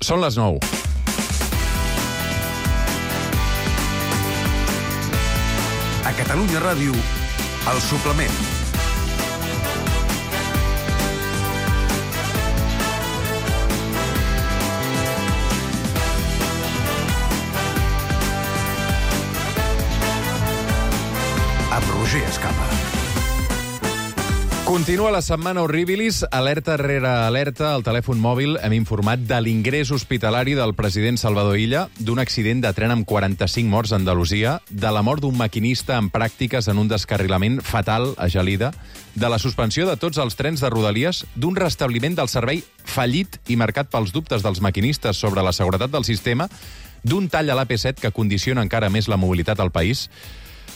Són les 9. A Catalunya Ràdio, El Suplement. Amb Roger Escapa. Continua la setmana Horribilis, alerta rere alerta al telèfon mòbil. Hem informat de l'ingrés hospitalari del president Salvador Illa, d'un accident de tren amb 45 morts a Andalusia, de la mort d'un maquinista en pràctiques en un descarrilament fatal a Gelida, de la suspensió de tots els trens de Rodalies, d'un restabliment del servei fallit i marcat pels dubtes dels maquinistes sobre la seguretat del sistema, d'un tall a l'AP7 que condiciona encara més la mobilitat al país.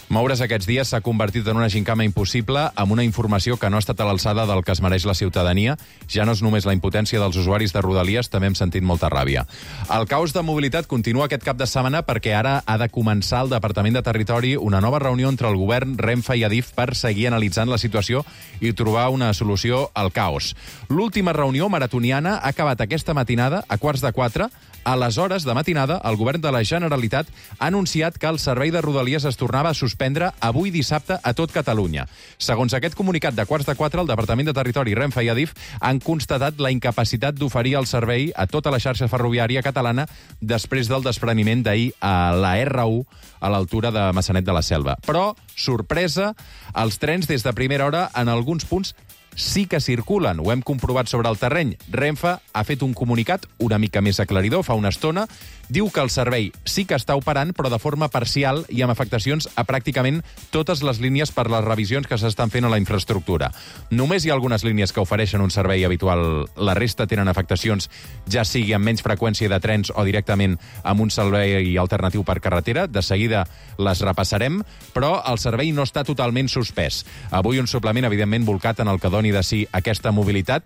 Moure's aquests dies s'ha convertit en una gincama impossible amb una informació que no ha estat a l'alçada del que es mereix la ciutadania. Ja no és només la impotència dels usuaris de Rodalies, també hem sentit molta ràbia. El caos de mobilitat continua aquest cap de setmana perquè ara ha de començar al Departament de Territori una nova reunió entre el govern, Renfe i Adif per seguir analitzant la situació i trobar una solució al caos. L'última reunió maratoniana ha acabat aquesta matinada a 3:45. A les hores de matinada, el govern de la Generalitat ha anunciat que el servei de Rodalies es tornava a suspendre avui dissabte a tot Catalunya. Segons aquest comunicat de 3:45, el Departament de Territori, Renfe i Adif han constatat la incapacitat d'oferir el servei a tota la xarxa ferroviària catalana després del despreniment d'ahir a la R1 a l'altura de Maçanet de la Selva. Però, sorpresa, els trens des de primera hora en alguns punts sí que circulen. Ho hem comprovat sobre el terreny. Renfe ha fet un comunicat una mica més aclaridor fa una estona. Diu que el servei sí que està operant, però de forma parcial i amb afectacions a pràcticament totes les línies per les revisions que s'estan fent a la infraestructura. Només hi ha algunes línies que ofereixen un servei habitual. La resta tenen afectacions, ja sigui amb menys freqüència de trens o directament amb un servei alternatiu per carretera. De seguida les repassarem, però el servei no està totalment suspès. Avui un suplement, evidentment, volcat en el que doni de si aquesta mobilitat.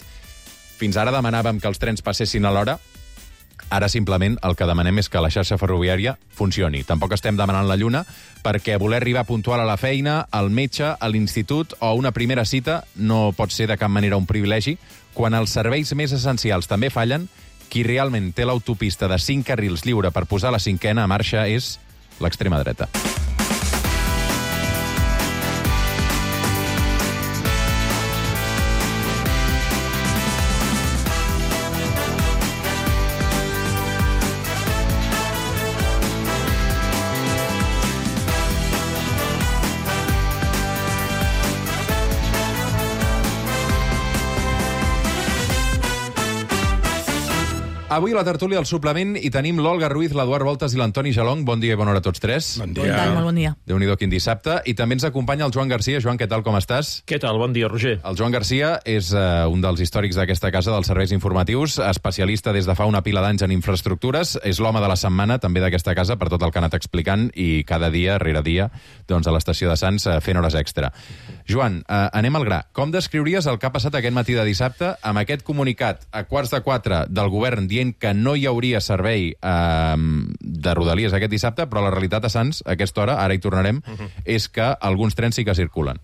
Fins ara demanàvem que els trens passessin a l'hora. Ara simplement el que demanem és que la xarxa ferroviària funcioni. Tampoc estem demanant la lluna, perquè voler arribar puntual a la feina, al metge, a l'institut o a una primera cita no pot ser de cap manera un privilegi. Quan els serveis més essencials també fallen, qui realment té l'autopista de 5 carrils lliure per posar la 5ena a marxa és l'extrema dreta. Avui a la tertúlia del suplement hi tenim l'Olga Ruiz, l'Eduard Voltas i l'Antoni Jalong. Bon dia i bona hora a tots tres. Bon dia. Molt bon dia. Déu-n'hi-do quin dissabte. I també ens acompanya el Joan Garcia. Joan, què tal, com estàs? Què tal? Bon dia, Roger. El Joan Garcia és un dels històrics d'aquesta casa dels serveis informatius, especialista des de fa una pila d'anys en infraestructures, és l'home de la setmana també d'aquesta casa per tot el que ha anat explicant i cada dia, rere dia, doncs a l'estació de Sants fent hores extra. Joan, anem al gra. Com descriuries el que ha passat aquest matí de dissabte amb aquest comunicat a 3:45 del govern dient que no hi hauria servei de Rodalies aquest dissabte, però la realitat a Sants, a aquesta hora, ara hi tornarem, és que alguns trens sí que circulen.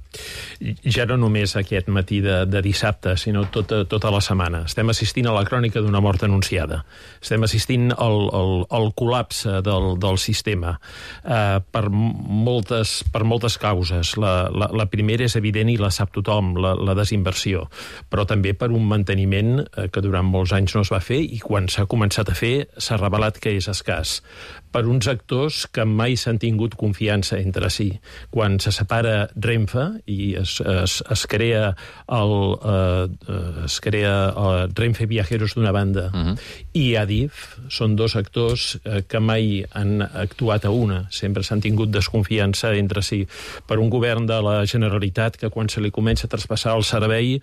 Ja no només aquest matí de dissabte, sinó tota la setmana. Estem assistint a la crònica d'una mort anunciada. Estem assistint al col·lapse del sistema per moltes causes. La primera és evident i la sap tothom, la desinversió, però també per un manteniment que durant molts anys no es va fer i quan s'ha començat a fer s'ha revelat que és escàs. Per uns actors que mai s'han tingut confiança entre si. Quan se separa Renfe i es crea Renfe Viajeros d'una banda i Adif, són dos actors que mai han actuat a una. Sempre s'han tingut desconfiança entre si. Per un govern de la Generalitat que quan se li comença a traspassar el servei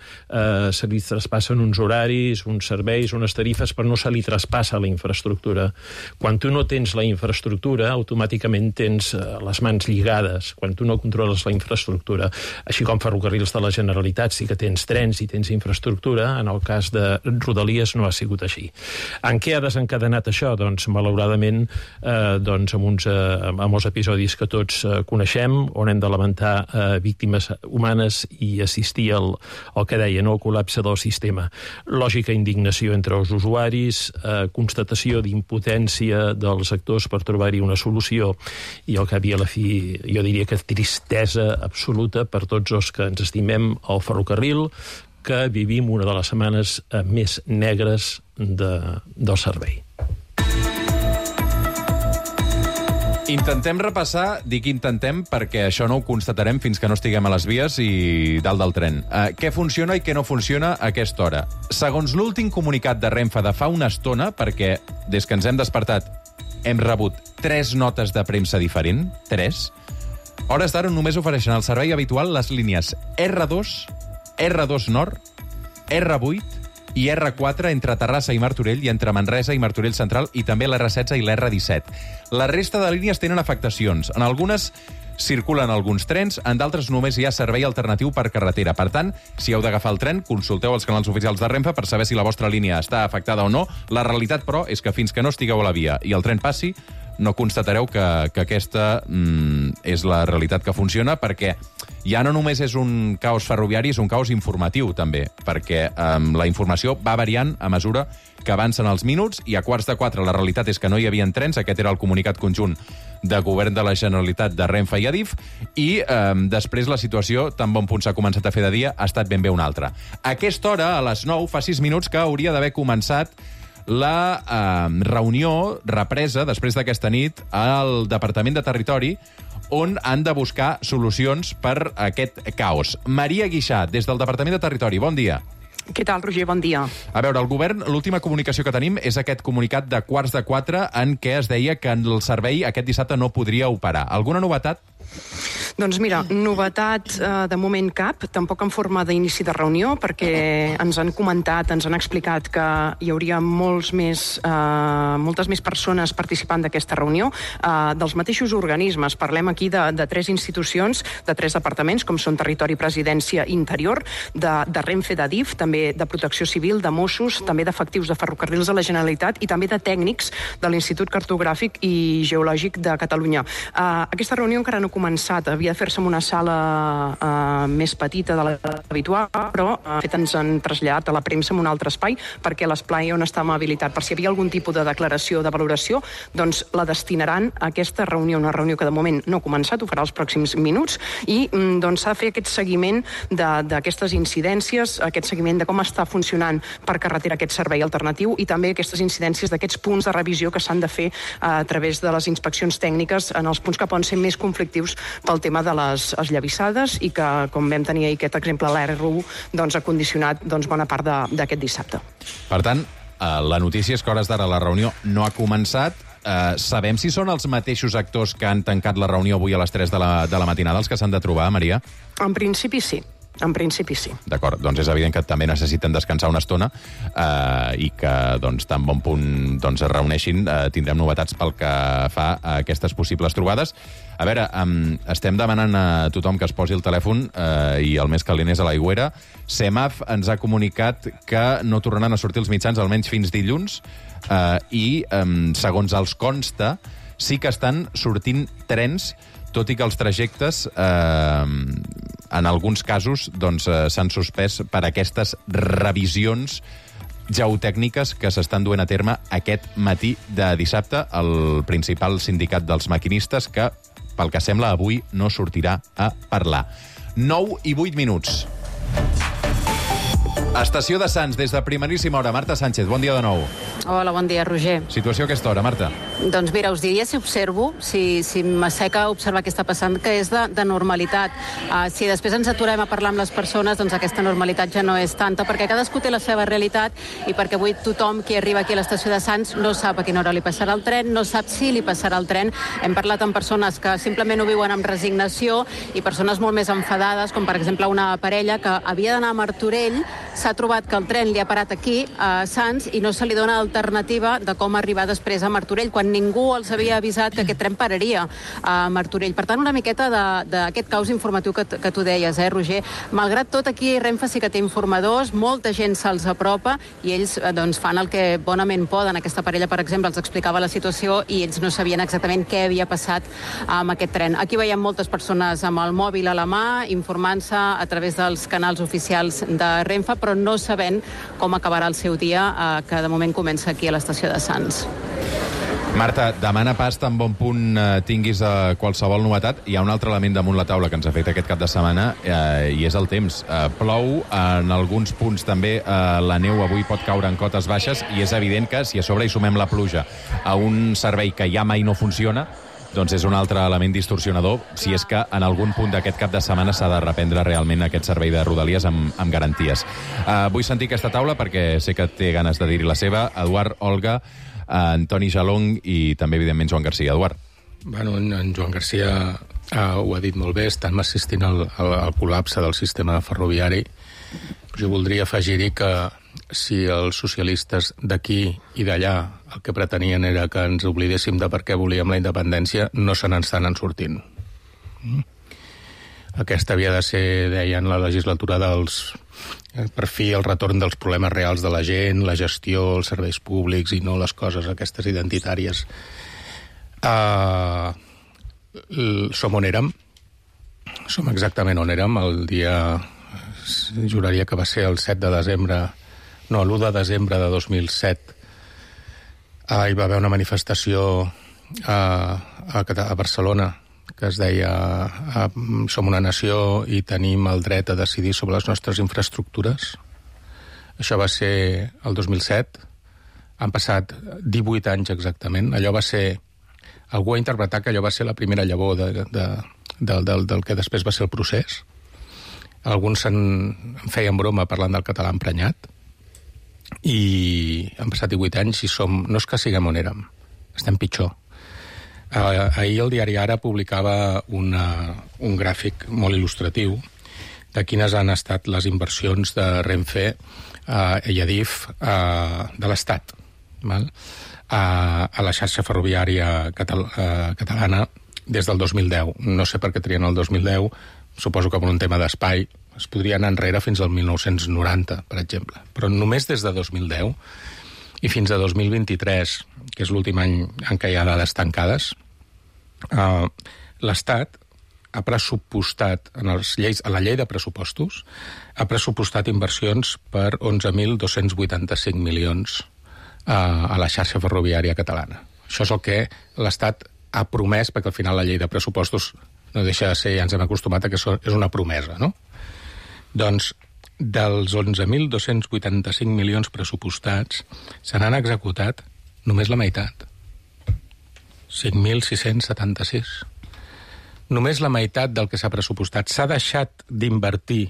se li traspassen uns horaris, uns serveis, unes tarifes, però no se li traspassa la infraestructura. Quan tu no tens la infraestructura, automàticament tens les mans lligades. Quan tu no controles la infraestructura, així com Ferrocarrils de la Generalitat sí que tens trens i tens infraestructura, en el cas de Rodalies no ha sigut així. En què ha desencadenat això? Doncs, malauradament, amb els episodis que tots coneixem, on hem de lamentar víctimes humanes i assistir al que deia, el col·lapse del sistema. Lògica indignació entre els usuaris, més constatació d'impotència dels actors per trobar-hi una solució, i al cap i a la fi jo diria que tristesa absoluta per tots els que ens estimem al ferrocarril, que vivim una de les setmanes més negres del servei. Intentem repassar, dic intentem perquè això no ho constatarem fins que no estiguem a les vies i dalt del tren. Què funciona i què no funciona a aquesta hora? Segons l'últim comunicat de Renfe de fa una estona, perquè des que ens hem despertat hem rebut 3 notes de premsa diferent, 3, hores d'ara només ofereixen al servei habitual les línies R2, R2 Nord, R8 i R4 entre Terrassa i Martorell i entre Manresa i Martorell Central i també l'R16 i l'R17. La resta de línies tenen afectacions. En algunes circulen alguns trens, en d'altres només hi ha servei alternatiu per carretera. Per tant, si heu d'agafar el tren, consulteu els canals oficials de Renfe per saber si la vostra línia està afectada o no. La realitat, però, és que fins que no estigueu a la via i el tren passi, no constatareu que aquesta és la realitat que funciona, perquè ja no només és un caos ferroviari, és un caos informatiu, també, perquè la informació va variant a mesura que avancen els minuts, i a 3:15 la realitat és que no hi havia trens. Aquest era el comunicat conjunt de Govern de la Generalitat, de Renfe i Adif, i després la situació, tan bon punt s'ha començat a fer de dia, ha estat ben bé una altra. A aquesta hora, a les 9, fa 6 minuts que hauria d'haver començat la reunió represa després d'aquesta nit al Departament de Territori, on han de buscar solucions per aquest caos. Maria Guixà, des del Departament de Territori, bon dia. Què tal, Roger? Bon dia. A veure, el govern, l'última comunicació que tenim és aquest comunicat de 3:15 en què es deia que el servei aquest dissabte no podria operar. Alguna novetat? Doncs mira, novetat de moment cap, tampoc en forma d'inici de reunió, perquè ens han comentat, ens han explicat que hi hauria moltes més persones participant d'aquesta reunió, dels mateixos organismes. Parlem aquí de 3 institucions, de 3 departaments, com són Territori, Presidència i Interior, de Renfe, d'Adif, també de Protecció Civil, de Mossos, també d'efectius de Ferrocarrils de la Generalitat i també de tècnics de l'Institut Cartogràfic i Geològic de Catalunya. Aquesta reunió encara no ha començat, havia de fer-se en una sala més petita de l'habitual, però de fet ens han traslladat a la premsa en un altre espai, perquè l'espai on estàvem habilitat, per si hi havia algun tipus de declaració de valoració, doncs la destinaran a aquesta reunió, una reunió que de moment no ha començat, ho farà els pròxims minuts, i doncs s'ha de fer aquest seguiment d'aquestes incidències, aquest seguiment de com està funcionant per carretera aquest servei alternatiu, i també aquestes incidències d'aquests punts de revisió que s'han de fer a través de les inspeccions tècniques en els punts que poden ser més conflictius pel tema de les esllavissades, i que, com vam tenir ahir aquest exemple, l'R1 doncs, ha condicionat bona part d'aquest dissabte. Per tant, la notícia és que a hores d'ara la reunió no ha començat. Sabem si són els mateixos actors que han tancat la reunió avui a les 3 de la matinada els que s'han de trobar, Maria? En principi sí. En principi sí. D'acord, doncs és evident que també necessiten descansar una estona i que tan bon punt es reuneixin. Tindrem novetats pel que fa a aquestes possibles trobades. A veure, estem demanant a tothom que es posi el telèfon i el més calent és a l'aigüera. CEMAF ens ha comunicat que no tornaran a sortir els mitjans almenys fins dilluns i, segons els consta, sí que estan sortint trens, tot i que els trajectes en alguns casos s'han suspès per aquestes revisions geotècniques que s'estan duent a terme aquest matí de dissabte. El principal sindicat dels maquinistes, que, pel que sembla, avui no sortirà a parlar. 9 i 8 minuts. Estació de Sants, des de primeríssima hora. Marta Sánchez, bon dia de nou. Hola, bon dia, Roger. Situació a aquesta hora, Marta. Doncs mira, us diria, si observo, si m'asseca observar què està passant, que és de normalitat. Si després ens aturem a parlar amb les persones, doncs aquesta normalitat ja no és tanta, perquè cadascú té la seva realitat i perquè avui tothom qui arriba aquí a l'estació de Sants no sap a quina hora li passarà el tren, no sap si li passarà el tren. Hem parlat amb persones que simplement ho viuen amb resignació i persones molt més enfadades, com per exemple una parella que havia d'anar a Martorell, s'ha trobat que el tren li ha parat aquí, a Sants, i no se li dona alternativa de com arribar després a Martorell, quan ningú els havia avisat que aquest tren pararia a Martorell. Per tant, una miqueta d'aquest caos informatiu que tu deies, Roger? Malgrat tot, aquí Renfe sí que té informadors, molta gent se'ls apropa i ells doncs, fan el que bonament poden. Aquesta parella, per exemple, els explicava la situació i ells no sabien exactament què havia passat amb aquest tren. Aquí veiem moltes persones amb el mòbil a la mà, informant-se a través dels canals oficials de Renfe, però no sabent com acabarà el seu dia, que de moment comença aquí a l'estació de Sants. Marta, demana pas tan bon punt tinguis qualsevol novetat. Hi ha un altre element damunt la taula que ens afecta aquest cap de setmana i és el temps. Plou, en alguns punts també la neu avui pot caure en cotes baixes i és evident que si a sobre hi sumem la pluja a un servei que ja mai no funciona, doncs és un altre element distorsionador si és que en algun punt d'aquest cap de setmana s'ha de reprendre realment aquest servei de Rodalies amb garanties. Vull sentir aquesta taula perquè sé que té ganes de dir-hi la seva. Eduard, Olga, Antoni Jalong i també, evidentment, Joan Garcia. Eduard. Bueno, en Joan Garcia ho ha dit molt bé, estem assistint al col·lapse del sistema ferroviari. Jo voldria afegir-hi que si els socialistes d'aquí i d'allà el que pretenien era que ens oblidéssim de per què volíem la independència, no se n'estan sortint. Aquesta havia de ser, deien, la legislatura per fi el retorn dels problemes reals de la gent, la gestió, els serveis públics i no les coses aquestes identitàries. Som on érem. Som exactament on érem. El dia, juraria que va ser el 7 de desembre, no, l'1 de desembre de 2007, hi va haver una manifestació a Barcelona que es deia som una nació i tenim el dret a decidir sobre les nostres infraestructures. Això va ser el 2007. Han passat 18 anys exactament. Allò va ser... Algú ha interpretat que allò va ser la primera llavor del que després va ser el procés. Alguns en feien broma parlant del català emprenyat. I han passat 18 anys i no és que siguem on érem, estem pitjor. Ahir el diari Ara publicava un gràfic molt il·lustratiu de quines han estat les inversions de Renfe i Adif de l'Estat a la xarxa ferroviària catalana des del 2010. No sé per què trien el 2010, suposo que per un tema d'espai. Es podria anar enrere fins al 1990, per exemple. Però només des de 2010 i fins a 2023, que és l'últim any en què hi ha dades tancades, l'Estat ha pressupostat, a la llei de pressupostos, ha pressupostat inversions per 11.285 milions a la xarxa ferroviària catalana. Això és el que l'Estat ha promès, perquè al final la llei de pressupostos no deixa de ser, ja ens hem acostumat a que és una promesa, no? Doncs dels 11.285 milions pressupostats se n'han executat només la meitat. 5.676. Només la meitat del que s'ha pressupostat. S'ha deixat d'invertir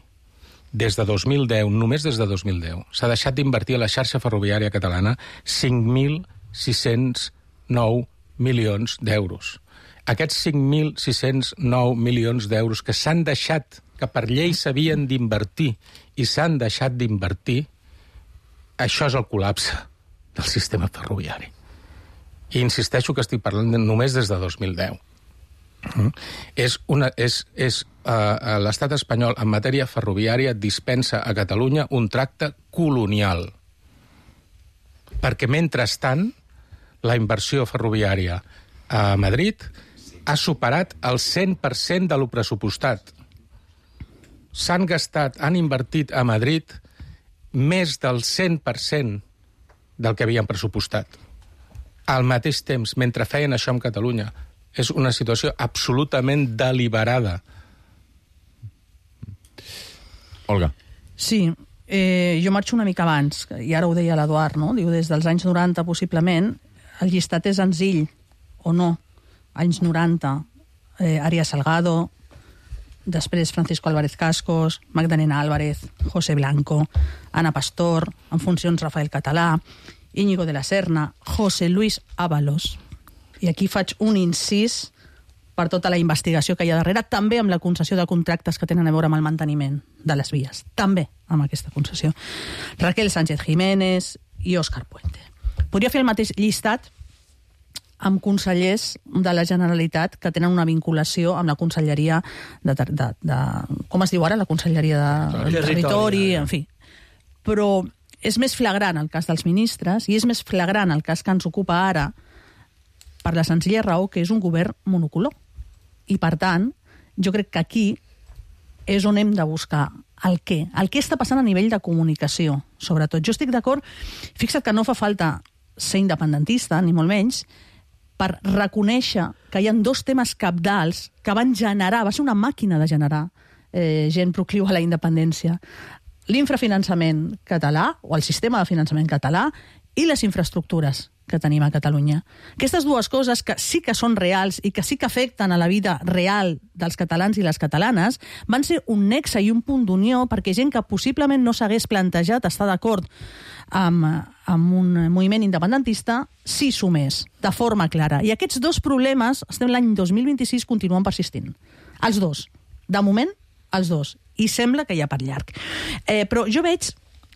des de 2010, només des de 2010, s'ha deixat d'invertir a la xarxa ferroviària catalana 5.609 milions d'euros. Aquests 5.609 milions d'euros que s'han deixat, que per llei s'havien d'invertir i s'han deixat d'invertir, això és el col·lapse del sistema ferroviari. I insisteixo que estic parlant només des de 2010. L'estat espanyol en matèria ferroviària dispensa a Catalunya un tracte colonial. Perquè, mentrestant, la inversió ferroviària a Madrid ha superat el 100% de lo pressupostat. S'han gastat, han invertit a Madrid més del 100% del que havien pressupostat. Al mateix temps, mentre feien això amb Catalunya, és una situació absolutament deliberada. Olga. Sí, jo marxo una mica abans, i ara ho deia l'Eduard, no? Diu, des dels anys 90, possiblement, el llistat és senzill, o no. Anys 90, Arias Salgado, després Francisco Álvarez Cascos, Magdalena Álvarez, José Blanco, Ana Pastor, en funcions Rafael Català, Íñigo de la Serna, José Luis Ábalos. I aquí faig un incís per tota la investigació que hi ha darrere, també amb la concessió de contractes que tenen a veure amb el manteniment de les vies. També amb aquesta concessió. Raquel Sánchez Jiménez i Òscar Puente. Podria fer el mateix llistat amb consellers de la Generalitat que tenen una vinculació amb la conselleria de com es diu ara? La conselleria de territori, en fi. Però és més flagrant el cas dels ministres i és més flagrant el cas que ens ocupa ara per la senzilla raó que és un govern monocolor. I, per tant, jo crec que aquí és on hem de buscar el què està passant a nivell de comunicació, sobretot. Jo estic d'acord, fixa't que no fa falta ser independentista, ni molt menys, per reconèixer que hi ha dos temes cabdals que van generar, va ser una màquina de generar gent procliu a la independència. L'infrafinançament català, o el sistema de finançament català, i les infraestructures que tenim a Catalunya. Aquestes dues coses que sí que són reals i que sí que afecten a la vida real dels catalans i les catalanes van ser un nexe i un punt d'unió perquè gent que possiblement no s'hagués plantejat estar d'acord amb un moviment independentista s'hi sumés de forma clara. I aquests dos problemes, estem l'any 2026, continuen persistint. Els dos. De moment, els dos. I sembla que hi ha per llarg. Però jo veig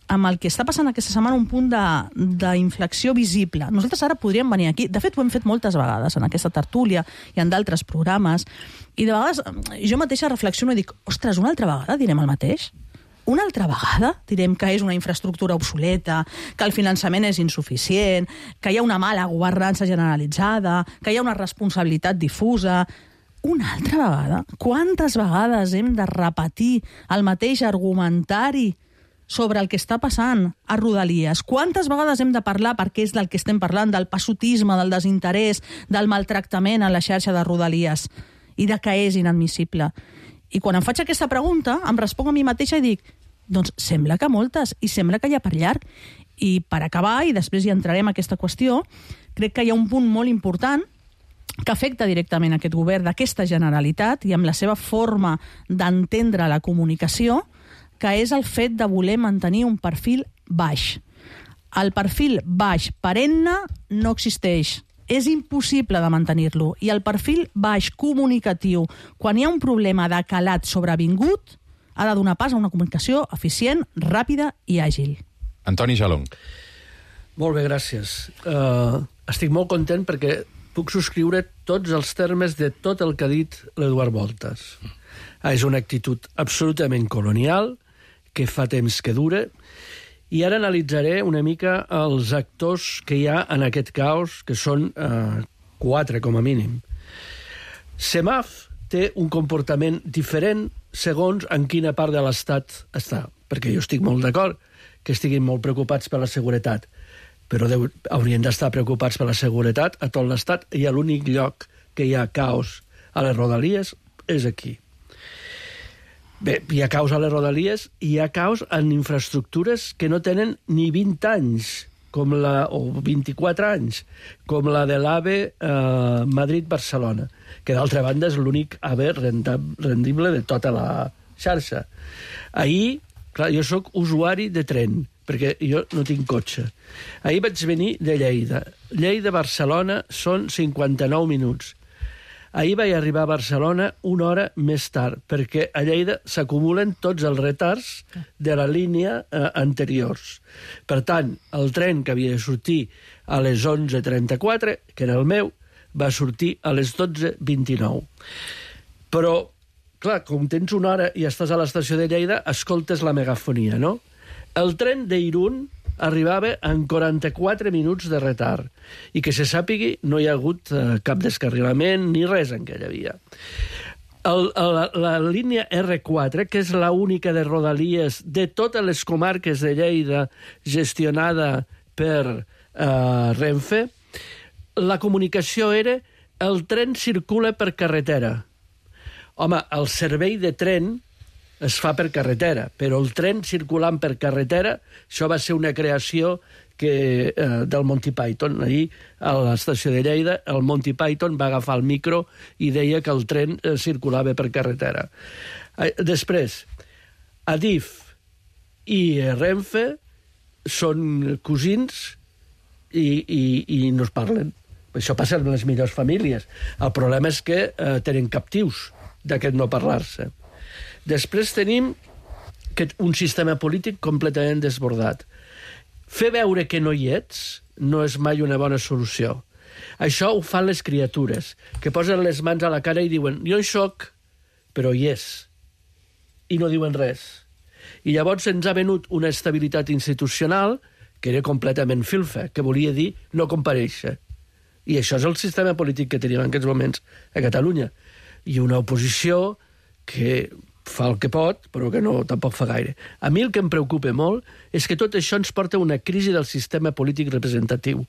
amb el que està passant aquesta setmana un punt d'inflexió visible. Nosaltres ara podríem venir aquí, de fet ho hem fet moltes vegades en aquesta tertúlia i en d'altres programes, i de vegades jo mateixa reflexiono i dic, ostres, una altra vegada direm el mateix? Una altra vegada direm que és una infraestructura obsoleta, que el finançament és insuficient, que hi ha una mala governança generalitzada, que hi ha una responsabilitat difusa. Una altra vegada? Quantes vegades hem de repetir el mateix argumentari sobre el que està passant a Rodalies? Quantes vegades hem de parlar, perquè és del que estem parlant, del passotisme, del desinterès, del maltractament a la xarxa de Rodalies i de que és inadmissible? I quan em faig aquesta pregunta, em responc a mi mateixa i dic, doncs sembla que moltes, i sembla que hi ha per llarg. I per acabar, i després hi entrarem a aquesta qüestió, crec que hi ha un punt molt important que afecta directament aquest govern d'aquesta Generalitat i amb la seva forma d'entendre la comunicació, que és el fet de voler mantenir un perfil baix. El perfil baix perenne no existeix. És impossible de mantenir-lo. I el perfil baix comunicatiu, quan hi ha un problema de calat sobrevingut, ha de donar pas a una comunicació eficient, ràpida i àgil. Antoni Jalong. Molt bé, gràcies. Estic molt content perquè puc subscriure tots els termes de tot el que ha dit l'Eduard Voltas. És una actitud absolutament colonial, que fa temps que dura, i ara analitzaré una mica els actors que hi ha en aquest caos, que són 4 com a mínim. Semaf té un comportament diferent segons en quina part de l'Estat està, perquè jo estic molt d'acord que estiguin molt preocupats per la seguretat, però haurien d'estar preocupats per la seguretat a tot l'Estat, i l'únic lloc que hi ha caos a les Rodalies és aquí. Bé, hi ha caos a les Rodalies i hi ha caos en infraestructures que no tenen ni 20 anys, o 24 anys, com la de l'AVE Madrid-Barcelona, que d'altra banda és l'únic AVE rendible de tota la xarxa. Ahir, clar, jo sóc usuari de tren, perquè jo no tinc cotxe. Ahir vaig venir de Lleida. Lleida-Barcelona són 59 minuts. Ahir vaig arribar a Barcelona una hora més tard, perquè a Lleida s'acumulen tots els retards de la línia anteriors. Per tant, el tren que havia de sortir a les 11:34, que era el meu, va sortir a les 12:29. Però, clar, com tens una hora i estàs a l'estació de Lleida, escoltes la megafonia, no? El tren d'Irún arribava en 44 minuts de retard, i que se sàpigui no hi ha hagut cap descarrilament ni res en aquella via. La línia R4, que és l'única de Rodalies de totes les comarques de Lleida gestionada per Renfe, la comunicació era el tren circula per carretera. Home, el servei de tren es fa per carretera, però el tren circulant per carretera, això va ser una creació del Monty Python. Ahir, a l'estació de Lleida, el Monty Python va agafar el micro i deia que el tren circulava per carretera. Després, Adif i Renfe són cosins i no es parlen. Això passa en les millors famílies. El problema és que tenen captius d'aquest no parlar-se. Després tenim un sistema polític completament desbordat. Fer veure que no hi ets no és mai una bona solució. Això ho fan les criatures, que posen les mans a la cara i diuen jo hi soc, però hi és. I no diuen res. I llavors ens ha venut una estabilitat institucional que era completament filfa, que volia dir no comparèixer. I això és el sistema polític que tenim en aquests moments a Catalunya. I una oposició que fa el que pot, però que no tampoc fa gaire. A mi el que em preocupa molt és que tot això ens porta a una crisi del sistema polític representatiu,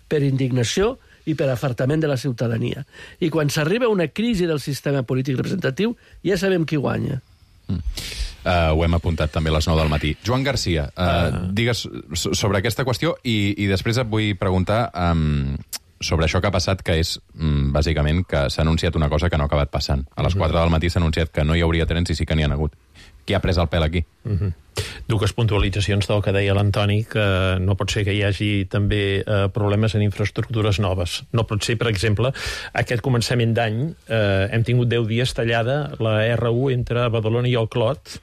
per indignació i per afartament de la ciutadania. I quan s'arriba a una crisi del sistema polític representatiu, ja sabem qui guanya. Ho hem apuntat també a les 9 del matí. Joan Garcia, digues sobre aquesta qüestió i després et vull preguntar sobre això que ha passat, que és, bàsicament, que s'ha anunciat una cosa que no ha acabat passant. A les 4 del matí s'ha anunciat que no hi hauria trens i sí que n'hi ha hagut. Qui ha pres el pèl aquí? Dues puntualitzacions del que deia l'Antoni, que no pot ser que hi hagi també problemes en infraestructures noves. No pot ser, per exemple, aquest començament d'any hem tingut 10 dies tallada la R1 entre Badalona i el Clot,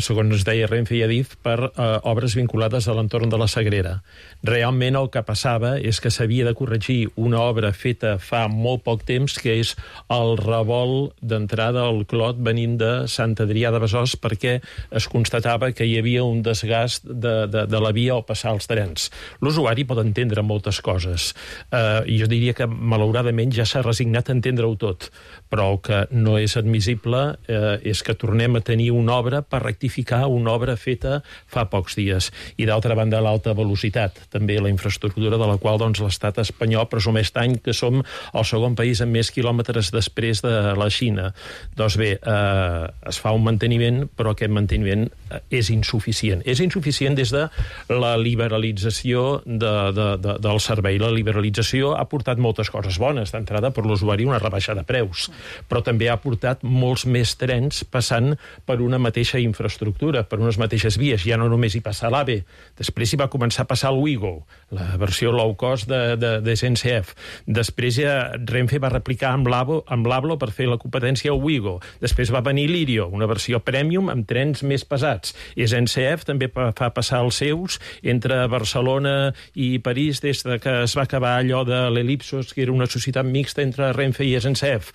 segons ens deia Renfe i Adif, per obres vinculades a l'entorn de la Sagrera. Realment el que passava és que s'havia de corregir una obra feta fa molt poc temps, que és el revolt d'entrada al Clot venint de Sant Adrià de Besòs, perquè es constatava que hi havia un desgast de la via al passar els trens. L'usuari pot entendre moltes coses. Jo diria que, malauradament, ja s'ha resignat a entendre-ho tot, però el que no és admissible és que tornem a tenir una obra per rectificar una obra feta fa pocs dies. I d'altra banda, l'alta velocitat, també la infraestructura de la qual l'estat espanyol presumeix tant que som el segon país amb més quilòmetres després de la Xina. Doncs bé, es fa un manteniment, però aquest manteniment és insuficient. És insuficient des de la liberalització del servei. La liberalització ha portat moltes coses bones. D'entrada, per l'usuari, una rebaixa de preus, però també ha portat molts més trens passant per una mateixa infraestructura, per unes mateixes vies. Ja no només hi passa l'AVE, després hi va començar a passar el Ouigo, la versió low cost de SNCF. Després ja Renfe va replicar amb l'Avlo per fer la competència al Ouigo. Després va venir l'Irio, una versió premium amb trens més pesats. I SNCF també fa passar els seus entre Barcelona i París des que es va acabar allò de l'Elipsos, que era una societat mixta entre Renfe i SNCF.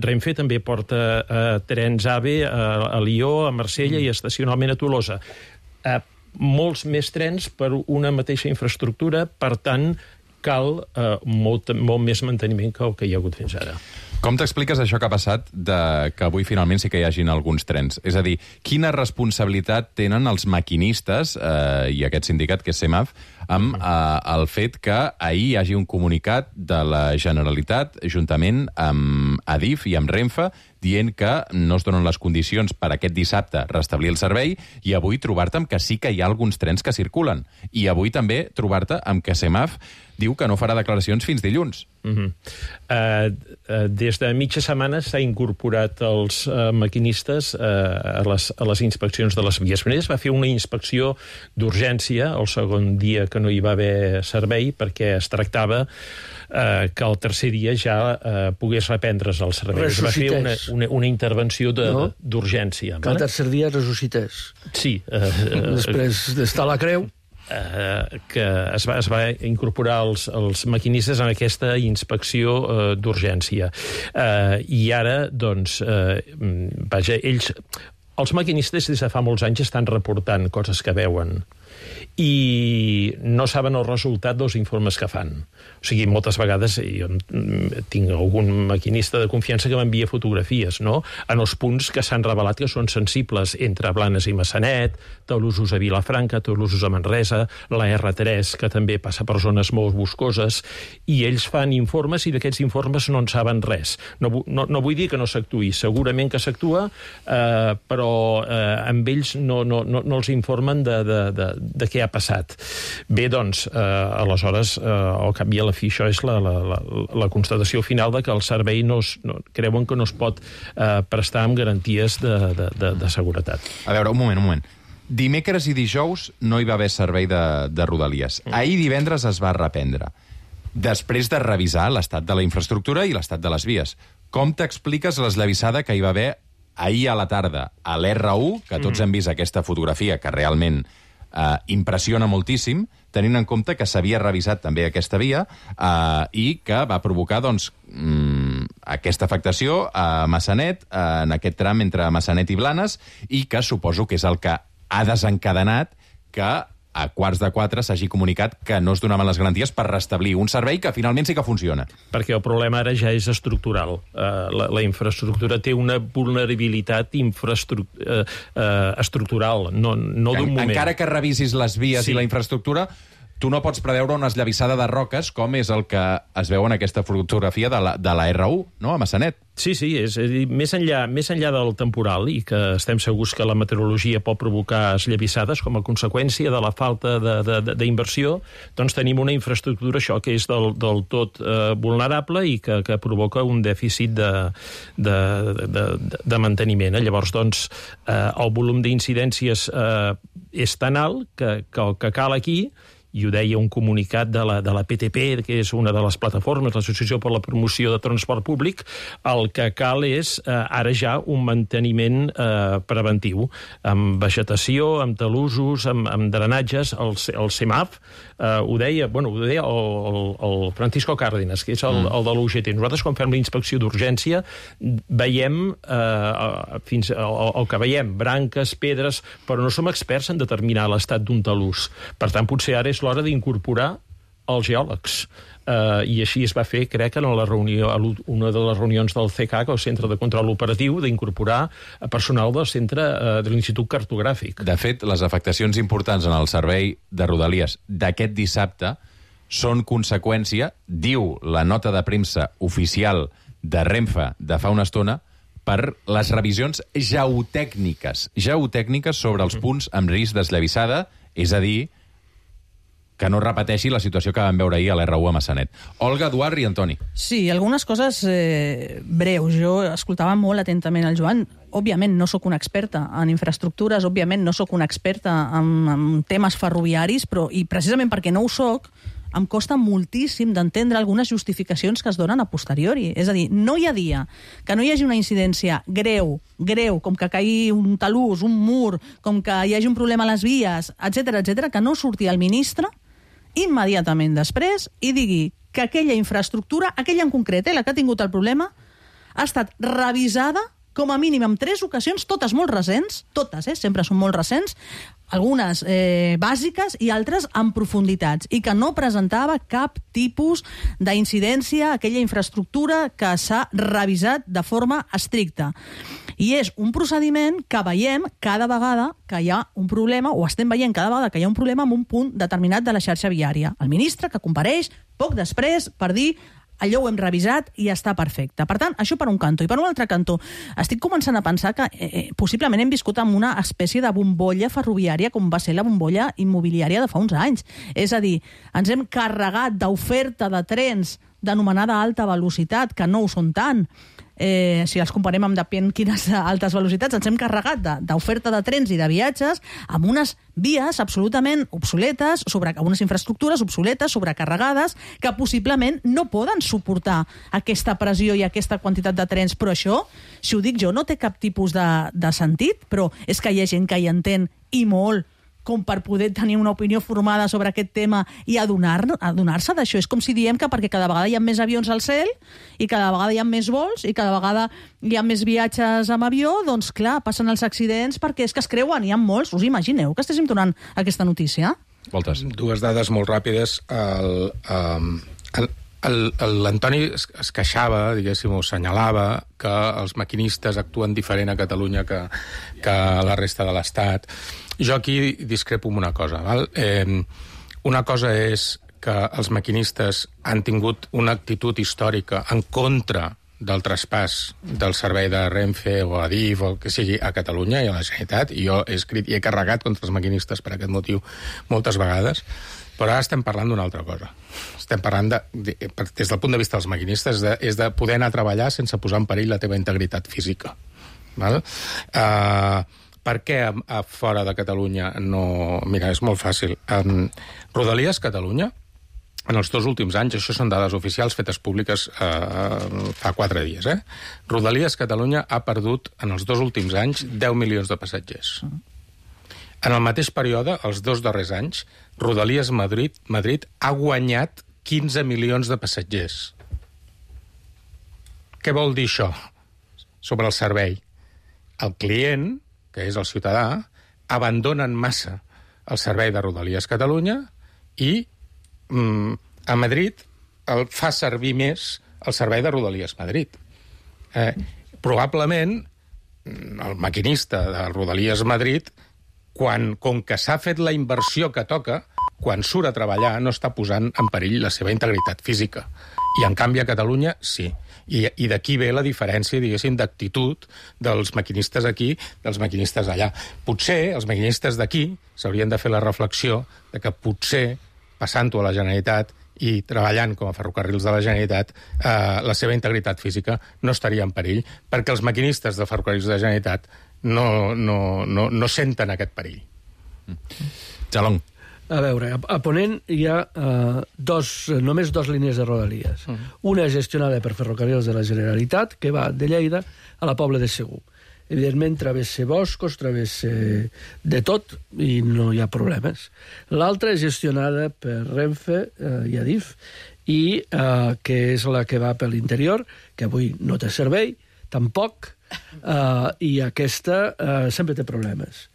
Renfe també porta trens AVE a Lió, a Marsella i estacionalment a Tolosa. Molts més trens per una mateixa infraestructura, per tant, cal molt més manteniment que el que hi ha hagut fins ara. Com t'expliques això que ha passat que avui finalment sí que hi hagin alguns trens? És a dir, quina responsabilitat tenen els maquinistes i aquest sindicat, que és CEMAF, amb el fet que ahir hi hagi un comunicat de la Generalitat, juntament amb Adif i amb Renfe, dient que no es donen les condicions per aquest dissabte restablir el servei, i avui trobar-te amb que sí que hi ha alguns trens que circulen. I avui també trobar-te amb que CEMAF diu que no farà declaracions fins dilluns. Des de mitja setmana s'ha incorporat els maquinistes a les inspeccions de les vies. Primer es va fer una inspecció d'urgència el segon dia que no hi va haver servei, perquè es tractava que el tercer dia ja pogués reprendre's el servei. Es va fer una intervenció d'urgència. Que el tercer dia ressuscités. Sí. Després d'estar a la creu, que es va incorporar els maquinistes en aquesta inspecció d'urgència. I ara, doncs, vaja, els maquinistes des de fa molts anys estan reportant coses que veuen i no saben el resultat dels informes que fan. O sigui, moltes vegades jo tinc algun maquinista de confiança que m'envia fotografies, no?, en els punts que s'han revelat que són sensibles entre Blanes i Massanet, Tolosos a Vilafranca, Tolosos a Manresa, la R3, que també passa per zones molt boscoses, i ells fan informes i d'aquests informes no en saben res. No vull dir que no s'actuï, segurament que s'actua, però amb ells no els informen de què ha passat. Bé, doncs, aleshores, al cap i a la fi, això és la constatació final de que el servei creuen que no es pot prestar amb garanties de seguretat. A veure, un moment. Dimecres i dijous no hi va haver servei de Rodalies. Ahir divendres es va reprendre, després de revisar l'estat de la infraestructura i l'estat de les vies. Com t'expliques l'esllavissada que hi va haver ahir a la tarda a l'R1, que tots hem vist aquesta fotografia, que realment impressiona moltíssim, tenint en compte que s'havia revisat també aquesta via i que va provocar aquesta afectació a Massanet, en aquest tram entre Massanet i Blanes, i que suposo que és el que ha desencadenat que a 3:15 s'hagi comunicat que no es donaven les garanties per restablir un servei que finalment sí que funciona. Perquè el problema ara ja és estructural. La infraestructura té una vulnerabilitat estructural, no d'un moment. Encara que revisis les vies i la infraestructura, tu no pots preveure una esllavissada de roques com és el que es veu en aquesta fotografia de la R1, no?, a Massanet. Sí, és a dir, més enllà del temporal, i que estem segurs que la meteorologia pot provocar esllavissades com a conseqüència de la falta d'inversió, doncs tenim una infraestructura, això, que és del tot vulnerable i que provoca un dèficit de manteniment. Llavors, doncs, el volum d'incidències és tan alt que el que cal aquí, i ho deia un comunicat de la PTP, que és una de les plataformes, l'Associació per la Promoció de Transport Públic, el que cal és ara ja un manteniment preventiu, amb vegetació, amb talussos, amb drenatges. El CEMAF ho deia el Francisco Cárdenas, que és el de l'UGT. Nosaltres, quan fem la inspecció d'urgència, veiem el que veiem, branques, pedres, però no som experts en determinar l'estat d'un talús. Per tant, potser ara és l'hora d'incorporar els geòlegs. I així es va fer, crec, en una de les reunions del CCAC, el Centre de Control Operatiu, d'incorporar personal del centre de l'Institut Cartogràfic. De fet, les afectacions importants en el servei de Rodalies d'aquest dissabte són conseqüència, diu la nota de premsa oficial de Renfe de fa una estona, per les revisions geotècniques sobre els punts amb risc d'esllavissada, és a dir, que no repeteixi la situació que vam veure ahir a l'R1 a Massanet. Olga, Eduard i Antoni. Sí, algunes coses breus. Jo escoltava molt atentament el Joan. Òbviament no sóc una experta en infraestructures, òbviament no sóc una experta en temes ferroviaris, i precisament perquè no ho sóc, em costa moltíssim d'entendre algunes justificacions que es donen a posteriori. És a dir, no hi ha dia que no hi hagi una incidència greu, com que caigui un talús, un mur, com que hi hagi un problema a les vies, etc, que no surti el ministre immediatament després i digui que aquella infraestructura, aquella en concret, la que ha tingut el problema, ha estat revisada com a mínim en 3 ocasions, totes molt recents, totes, sempre són molt recents, algunes bàsiques i altres en profunditats, i que no presentava cap tipus d'incidència a aquella infraestructura que s'ha revisat de forma estricta. I és un procediment que veiem cada vegada que hi ha un problema, o estem veient cada vegada que hi ha un problema en un punt determinat de la xarxa viària. El ministre que compareix poc després per dir allò ho hem revisat i està perfecte. Per tant, això per un cantó. I per un altre cantó, estic començant a pensar que possiblement hem viscut amb una espècie de bombolla ferroviària com va ser la bombolla immobiliària de fa uns anys. És a dir, ens hem carregat d'oferta de trens d'anomenada alta velocitat, que no ho són tant. Si els comparem amb depèn quines altes velocitats, ens hem carregat d'oferta de trens i de viatges amb unes vies absolutament obsoletes, sobre unes infraestructures obsoletes, sobrecarregades, que possiblement no poden suportar aquesta pressió i aquesta quantitat de trens. Però això, si ho dic jo, no té cap tipus de sentit, però és que hi ha gent que hi entén, i molt, com per poder tenir una opinió formada sobre aquest tema i adonar-se d'això. És com si diem que perquè cada vegada hi ha més avions al cel i cada vegada hi ha més vols i cada vegada hi ha més viatges amb avió, doncs clar, passen els accidents perquè és que es creuen, hi ha molts. Us imagineu que estéssim donant aquesta notícia? Voltes. 2 dades molt ràpides. L'Antoni es queixava, diguéssim, o senyalava que els maquinistes actuen diferent a Catalunya que a la resta de l'Estat. Jo aquí discrepo amb una cosa. Val? Una cosa és que els maquinistes han tingut una actitud històrica en contra del traspàs del servei de Renfe o Adif o el que sigui a Catalunya i a la Generalitat, i jo he escrit i he carregat contra els maquinistes per aquest motiu moltes vegades, però ara estem parlant d'una altra cosa. Estem parlant, des del punt de vista dels maquinistes, és de poder anar a treballar sense posar en perill la teva integritat física. Val? Per què a fora de Catalunya no... Mira, és molt fàcil. Rodalies Catalunya, en els 2 últims anys, això són dades oficials fetes públiques fa 4 dies, Rodalies Catalunya ha perdut en els 2 últims anys 10 milions de passatgers. En el mateix període, els 2 darrers anys, Rodalies Madrid ha guanyat 15 milions de passatgers. Què vol dir això sobre el servei? El client, que és el ciutadà, abandona en massa el servei de Rodalies Catalunya i a Madrid el fa servir més el servei de Rodalies Madrid. Probablement el maquinista de Rodalies Madrid, com que s'ha fet la inversió que toca, quan surt a treballar no està posant en perill la seva integritat física. I en canvi a Catalunya sí. I d'aquí ve la diferència, diguéssim, d'actitud dels maquinistes aquí, dels maquinistes allà. Potser els maquinistes d'aquí s'haurien de fer la reflexió de que potser, passant-ho a la Generalitat i treballant com a ferrocarrils de la Generalitat, la seva integritat física no estaria en perill, perquè els maquinistes de ferrocarrils de la Generalitat no senten aquest perill. Jalón. A veure, a Ponent hi ha només 2 línies de Rodalies. Una és gestionada per Ferrocarrils de la Generalitat, que va de Lleida a la Pobla de Segur. Evidentment, travessa boscos, travessa de tot, i no hi ha problemes. L'altra és gestionada per Renfe i Adif, i que és la que va per l'interior, que avui no té servei, tampoc, i aquesta sempre té problemes.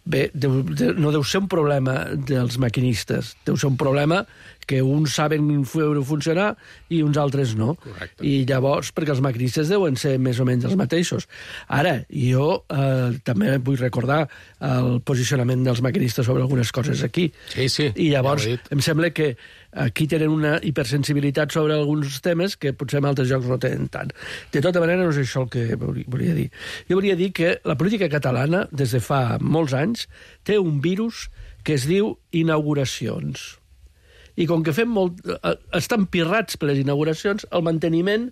Bé, no deu ser un problema dels maquinistes, deu ser un problema que uns saben fer-ho funcionar i uns altres no. Correcte. I llavors, perquè els maquinistes deuen ser més o menys els mateixos. Ara, jo també vull recordar el posicionament dels maquinistes sobre algunes coses aquí. Sí, I llavors ja em sembla que aquí tenen una hipersensibilitat sobre alguns temes que potser en altres llocs no tenen tant. De tota manera, no és això el que volia dir. Jo volia dir que la política catalana, des de fa molts anys, té un virus que es diu inauguracions. I com que estan pirrats per les inauguracions, el manteniment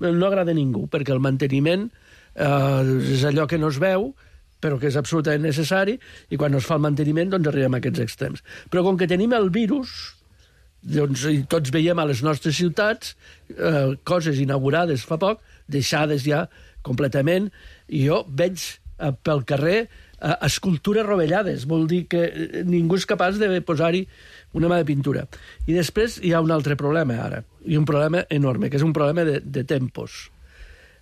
no agrada a ningú, perquè el manteniment és allò que no es veu, però que és absolutament necessari, i quan no es fa el manteniment doncs arribem a aquests extrems. Però com que tenim el virus, doncs, i tots veiem a les nostres ciutats coses inaugurades fa poc, deixades ja completament, i jo veig pel carrer escultures rovellades, vol dir que ningú és capaç de posar-hi una mà de pintura. I després hi ha un altre problema ara, i un problema enorme, que és un problema de tempos.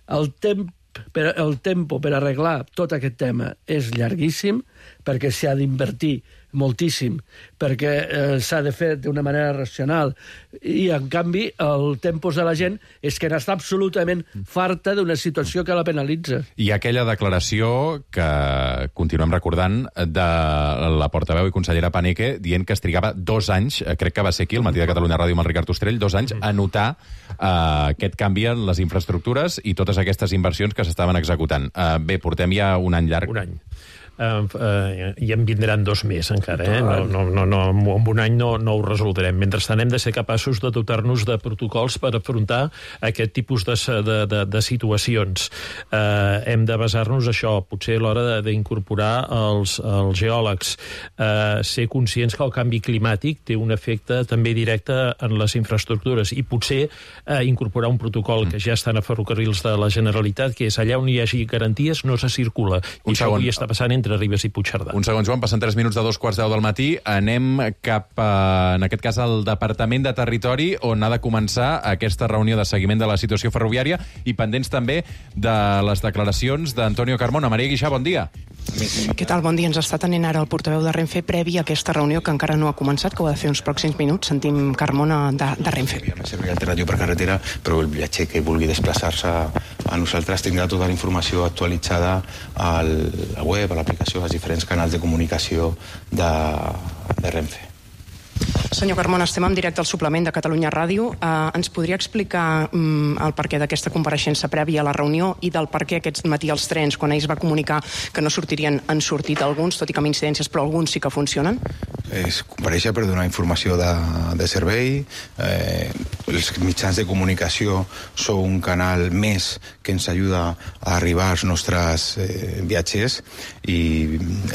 El tempo per arreglar tot aquest tema és llarguíssim, perquè s'ha d'invertir moltíssim, perquè s'ha de fer d'una manera racional, i en canvi el tempos de la gent és que n'està absolutament farta d'una situació que la penalitza. I aquella declaració que continuem recordant de la portaveu i consellera Paneque dient que es trigava 2 anys, crec que va ser aquí, al Matí de Catalunya Ràdio amb el Ricard Ostrell, 2 anys a notar aquest canvi en les infraestructures i totes aquestes inversions que s'estaven executant. Bé, portem ja un any llarg. Un any. I en vindran 2 més encara, amb un any no ho resoldrem. Mentrestant hem de ser capaços de dotar-nos de protocols per afrontar aquest tipus de situacions. Hem de basar-nos això, potser a l'hora d'incorporar els geòlegs, ser conscients que el canvi climàtic té un efecte també directe en les infraestructures, i potser incorporar un protocol que ja estan a Ferrocarrils de la Generalitat, que és allà on hi hagi garanties no se circula, i això avui està passant entre Ribes i Puigcerdà. Un segon, Joan, passen 3 minuts de 2:15 del matí. Anem cap, en aquest cas, al Departament de Territori, on ha de començar aquesta reunió de seguiment de la situació ferroviària, i pendents també de les declaracions d'Antonio Carmona. Maria Guixà, bon dia. Què tal? Bon dia. Ens està tenint ara el portaveu de Renfe previ a aquesta reunió, que encara no ha començat, que ho ha de fer uns pròxims minuts. Sentim Carmona de Renfe. El servei alternatiu per carretera, però el viatger que vulgui desplaçar-se a nosaltres tindrà tota la informació actualitzada a la web, a l'aplicació, als diferents canals de comunicació de Renfe. Senyor Carmona, estem en directe al suplement de Catalunya Ràdio. Ens podria explicar el perquè d'aquesta compareixença prèvia a la reunió i del perquè aquest matí els trens, quan ells va comunicar que no sortirien, han sortit alguns, tot i que amb incidències, però alguns sí que funcionen? És comparèixer per donar informació de servei. els mitjans de comunicació són un canal més que ens ajuda a arribar als nostres viatgers, i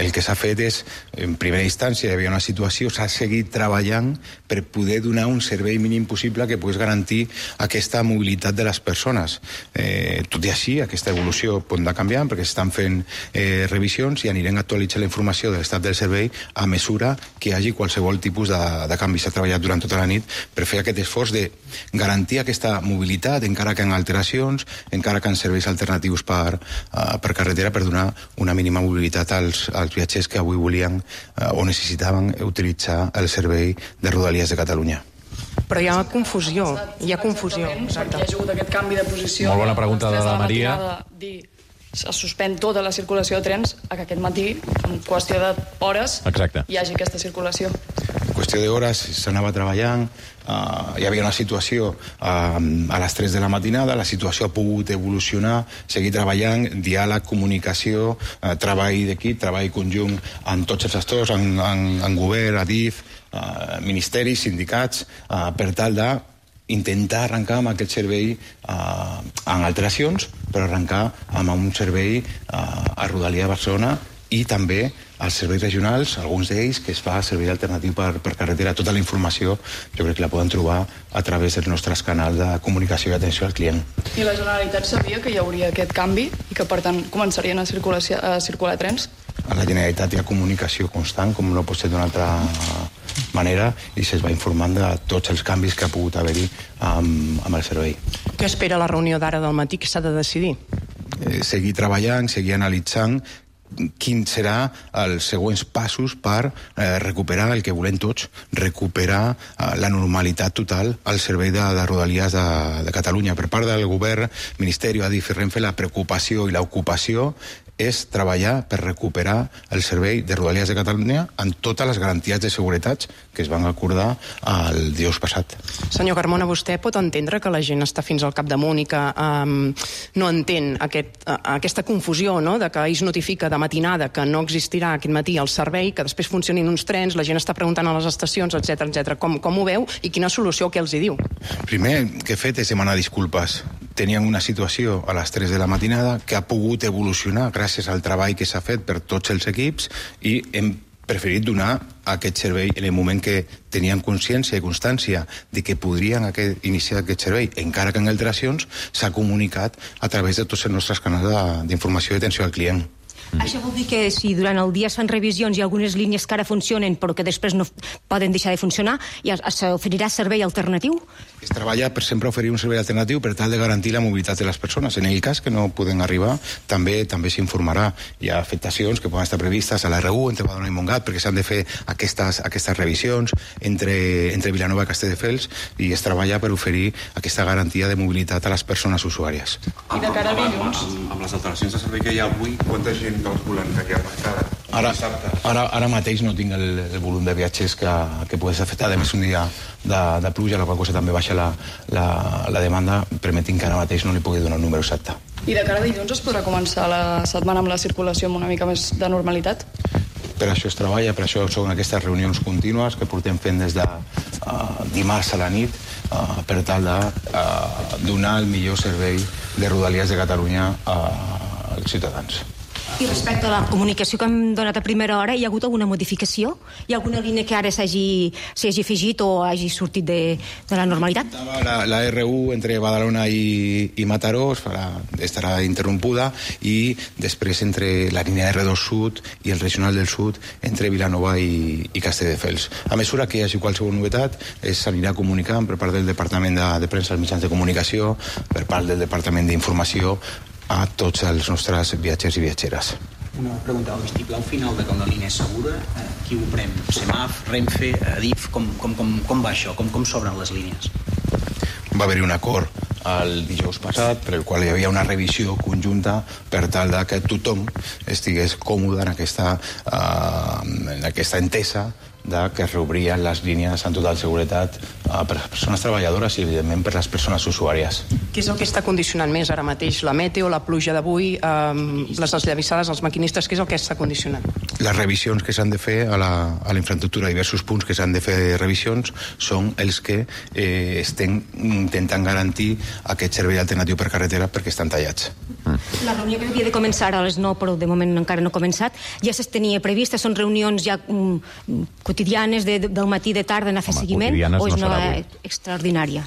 el que s'ha fet és, en primera instància, hi havia una situació, s'ha seguit treballant per poder donar un servei mínim possible que pogués garantir aquesta mobilitat de les persones. Tot i així, aquesta evolució pot anar canviant perquè s'estan fent revisions i anirem actualitzant la informació de l'estat del servei a mesura que hi hagi qualsevol tipus de canvi. S'ha treballat durant tota la nit per fer aquest esforç de garantir aquesta mobilitat, encara que en alteracions, encara que en serveis alternatius per carretera, per donar una mínima mobilitat als viatgers que avui volien o necessitaven utilitzar el servei de Rodalies de Catalunya. Però hi ha confusió. Exacte. Hi ha hagut aquest canvi de posició. Molt bona pregunta de la Maria. Es suspèn tota la circulació de trens a que aquest matí, en qüestió d'hores, hi hagi aquesta circulació. En qüestió d'hores s'anava treballant, hi havia una situació a les 3 de la matinada, la situació ha pogut evolucionar, seguir treballant, diàleg, comunicació, treball d'equip, treball conjunt amb tots els actors, en govern, ADIF, ministeris, sindicats, per tal de intentar arrencar amb aquest servei en alteracions, però arrencar amb un servei a Rodalia de Barcelona i també als serveis regionals, alguns d'ells que es fa servei alternatiu per carretera. Tota la informació jo crec que la poden trobar a través dels nostres canals de comunicació i atenció al client. I la Generalitat sabia que hi hauria aquest canvi i que per tant començarien a circular trens? A la Generalitat hi ha comunicació constant, com no pot ser d'una altra manera, i se'ls va informant de tots els canvis que ha pogut haver-hi amb el servei. Què espera la reunió d'ara del matí que s'ha de decidir? Seguir treballant, seguir analitzant quins seran els següents passos per recuperar el que volem tots, recuperar la normalitat total al servei de Rodalies de Catalunya. Per part del govern, Ministeri, ADIF i Renfe, la preocupació i l'ocupació és treballar per recuperar el servei de Rodalies de Catalunya amb totes les garanties de seguretat que es van acordar el dijous passat. Senyor Carmona, vostè pot entendre que la gent està fins al capdamunt i que no entén aquesta confusió, no?, de que es notifica de matinada que no existirà aquest matí el servei, que després funcionin uns trens, la gent està preguntant a les estacions, etc. Com ho veu i quina solució què els hi diu? Primer que he fet és demanar disculpes. Tenien una situació a les 3 de la matinada que ha pogut evolucionar gràcies al treball que s'ha fet per tots els equips i hem preferit donar aquest servei en el moment que tenien consciència i constància de que podrien iniciar aquest servei, encara que en alteracions s'ha comunicat a través de tots els nostres canals d'informació i atenció al client. Això vol dir que si durant el dia es fan revisions i algunes línies que ara funcionen però que després no poden deixar de funcionar, ja s'oferirà servei alternatiu? Es treballa per sempre oferir un servei alternatiu per tal de garantir la mobilitat de les persones. En el cas que no poden arribar, també s'informarà. Hi ha afectacions que poden estar previstes a la R1 entre Badalona i Montgat perquè s'han de fer aquestes revisions entre Vilanova i Castelldefels i es treballa per oferir aquesta garantia de mobilitat a les persones usuàries. I de cara a dilluns? Amb les alteracions de servei que hi ha avui, quanta gent calculen que hi ha afectada? Ara mateix no tinc el volum de viatgers que pugui ser afectat. A més, un dia de pluja, la qual cosa també baixa la demanda, permetin que ara mateix no li pugui donar un número exacte. I de cara a dilluns es podrà començar la setmana amb la circulació amb una mica més de normalitat? Per això es treballa, per això són aquestes reunions contínues que portem fent des de dimarts a la nit per tal de donar el millor servei de Rodalies de Catalunya als ciutadans. I respecte a la comunicació que hem donat a primera hora, hi ha hagut alguna modificació? Hi ha alguna línia que ara s'hagi afegit o hagi sortit de la normalitat? La R1 entre Badalona i Mataró estarà interrompuda i després entre la línia R2 Sud i el regional del Sud entre Vilanova i Castelldefels. A mesura que hi hagi qualsevol novetat s'anirà comunicant per part del Departament de Premsa als mitjans de comunicació, per part del Departament d'Informació, a tots els nostres viatgers i viatgeres. Una pregunta, el vistiplau final de que la línia és segura, qui ho prem? Semaf, Renfe, Adif, com va això? Com s'obren les línies? Va haver-hi un acord el dijous passat per el qual hi havia una revisió conjunta per tal que tothom estigués còmode en aquesta entesa que es reobrien les línies amb total seguretat per les persones treballadores i, evidentment, per les persones usuàries. Què és el que està condicionant més ara mateix? La meteo, la pluja d'avui, les esllavissades, els maquinistes, què és el que està condicionant? Les revisions que s'han de fer a la infraestructura, diversos punts que s'han de fer revisions, són els que estem intentant garantir aquest servei alternatiu per carretera perquè estan tallats. La reunió que havia de començar a les 9, però de moment encara no ha començat, ja es tenia prevista, són reunions ja quotidianes del matí, de tarda, anar a fer seguiment, o és una extraordinària?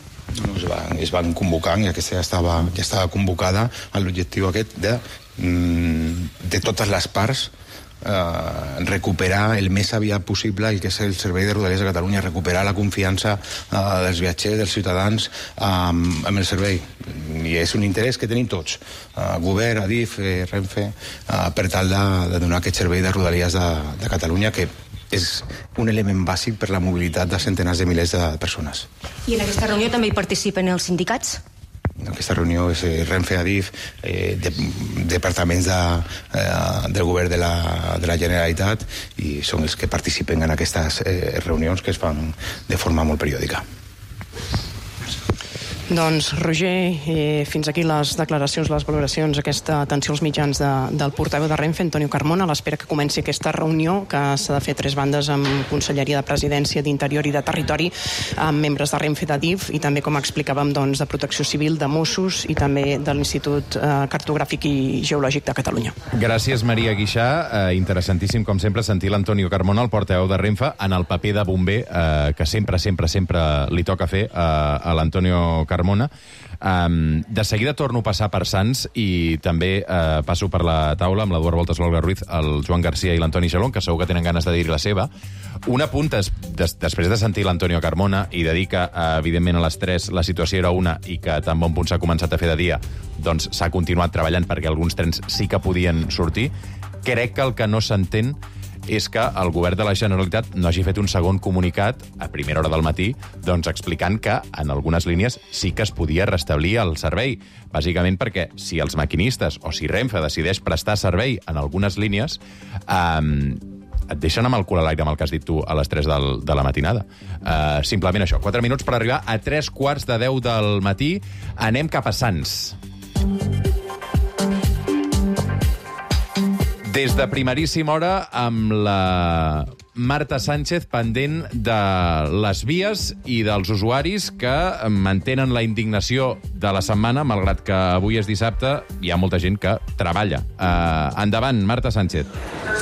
Es van convocant i aquesta ja estava convocada amb l'objectiu aquest de totes les parts recuperar el més aviat possible el que és el servei de Rodalies de Catalunya, recuperar la confiança dels viatgers, dels ciutadans amb el servei. I és un interès que tenim tots, govern, Adif, Renfe, per tal de donar aquest servei de Rodalies de Catalunya, que és un element bàsic per la mobilitat de centenars de milers de persones. I en aquesta reunió també hi participen els sindicats? En aquesta reunió és Renfe, Adif, departaments del govern de la Generalitat, i són els que participen en aquestes reunions que es fan de forma molt periòdica. Doncs, Roger, fins aquí les declaracions, les valoracions, aquesta atenció als mitjans del portaveu de Renfe, Antonio Carmona, a l'espera que comenci aquesta reunió que s'ha de fer a 3 bandes amb Conselleria de Presidència, d'Interior i de Territori, amb membres de Renfe, d'Adif i també, com explicàvem, de Protecció Civil, de Mossos i també de l'Institut Cartogràfic i Geològic de Catalunya. Gràcies, Maria Guixà. Interessantíssim, com sempre, sentir l'Antonio Carmona, el portaveu de Renfe, en el paper de bomber que sempre li toca fer a l'Antonio Carmona. De seguida torno a passar per Sants i també passo per la taula amb l'Eduard Voltas, l'Olga Ruiz, el Joan Garcia i l'Antoni Jalón, que segur que tenen ganes de dir la seva. Un apunt després de sentir l'Antonio Carmona i de dir que, evidentment, a les 3 la situació era una i que tan bon punt s'ha començat a fer de dia, doncs s'ha continuat treballant perquè alguns trens sí que podien sortir. Crec que el que no s'entén és que el govern de la Generalitat no hagi fet un segon comunicat a primera hora del matí doncs explicant que en algunes línies sí que es podia restablir el servei. Bàsicament perquè si els maquinistes o si Renfe decideix prestar servei en algunes línies, et deixen amb el cul a l'aire amb el que has dit tu a les 3 de la matinada. Simplement això. 4 minuts per arribar a 3:45 del matí. Anem cap a Sants. Des de primeríssima hora, amb la Marta Sánchez pendent de les vies i dels usuaris que mantenen la indignació de la setmana, malgrat que avui és dissabte, hi ha molta gent que treballa. Endavant, Marta Sánchez.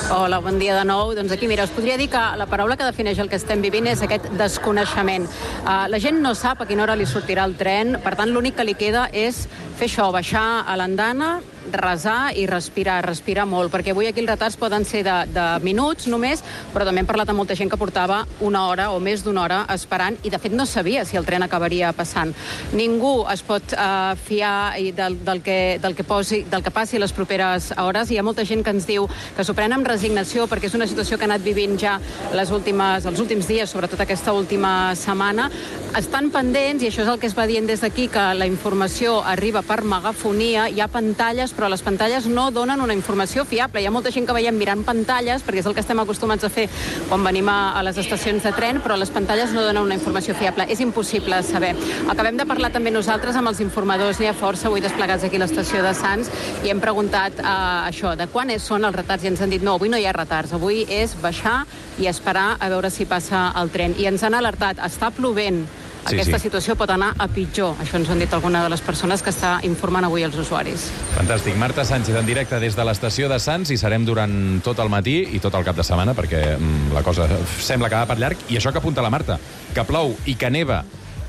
Hola, bon dia de nou. Doncs aquí, mira, us podria dir que la paraula que defineix el que estem vivint és aquest desconeixement. La gent no sap a quina hora li sortirà el tren, per tant, l'únic que li queda és fer això, baixar a l'andana, resar i respirar molt, perquè avui aquí els retards poden ser de minuts només, però també hem parlat amb molta gent que portava una hora o més d'una hora esperant i, de fet, no sabia si el tren acabaria passant. Ningú es pot fiar del que passi les properes hores. Hi ha molta gent que ens diu que s'ho pren amb resignació perquè és una situació que ha anat vivint ja els últims dies, sobretot aquesta última setmana. Estan pendents, i això és el que es va dient des d'aquí, que la informació arriba per megafonia, hi ha pantalles, però les pantalles no donen una informació fiable. Hi ha molta gent que veiem mirant pantalles, perquè és el que estem acostumats a fer quan venim a les estacions de tren, però les pantalles no donen una informació fiable. És impossible saber. Acabem de parlar també nosaltres amb els informadors, n'hi ha força avui desplegats aquí a l'estació de Sants, i hem preguntat això, de quan són els retards, i ens han dit, no, avui no hi ha retards, avui és baixar i esperar a veure si passa el tren. I ens han alertat, està plovent, aquesta situació pot anar a pitjor. Això ens han dit alguna de les persones que està informant avui els usuaris. Fantàstic. Marta Sánchez en directe des de l'estació de Sants, i serem durant tot el matí i tot el cap de setmana, perquè la cosa sembla que va per llarg. I això que apunta la Marta, que plou i que neva,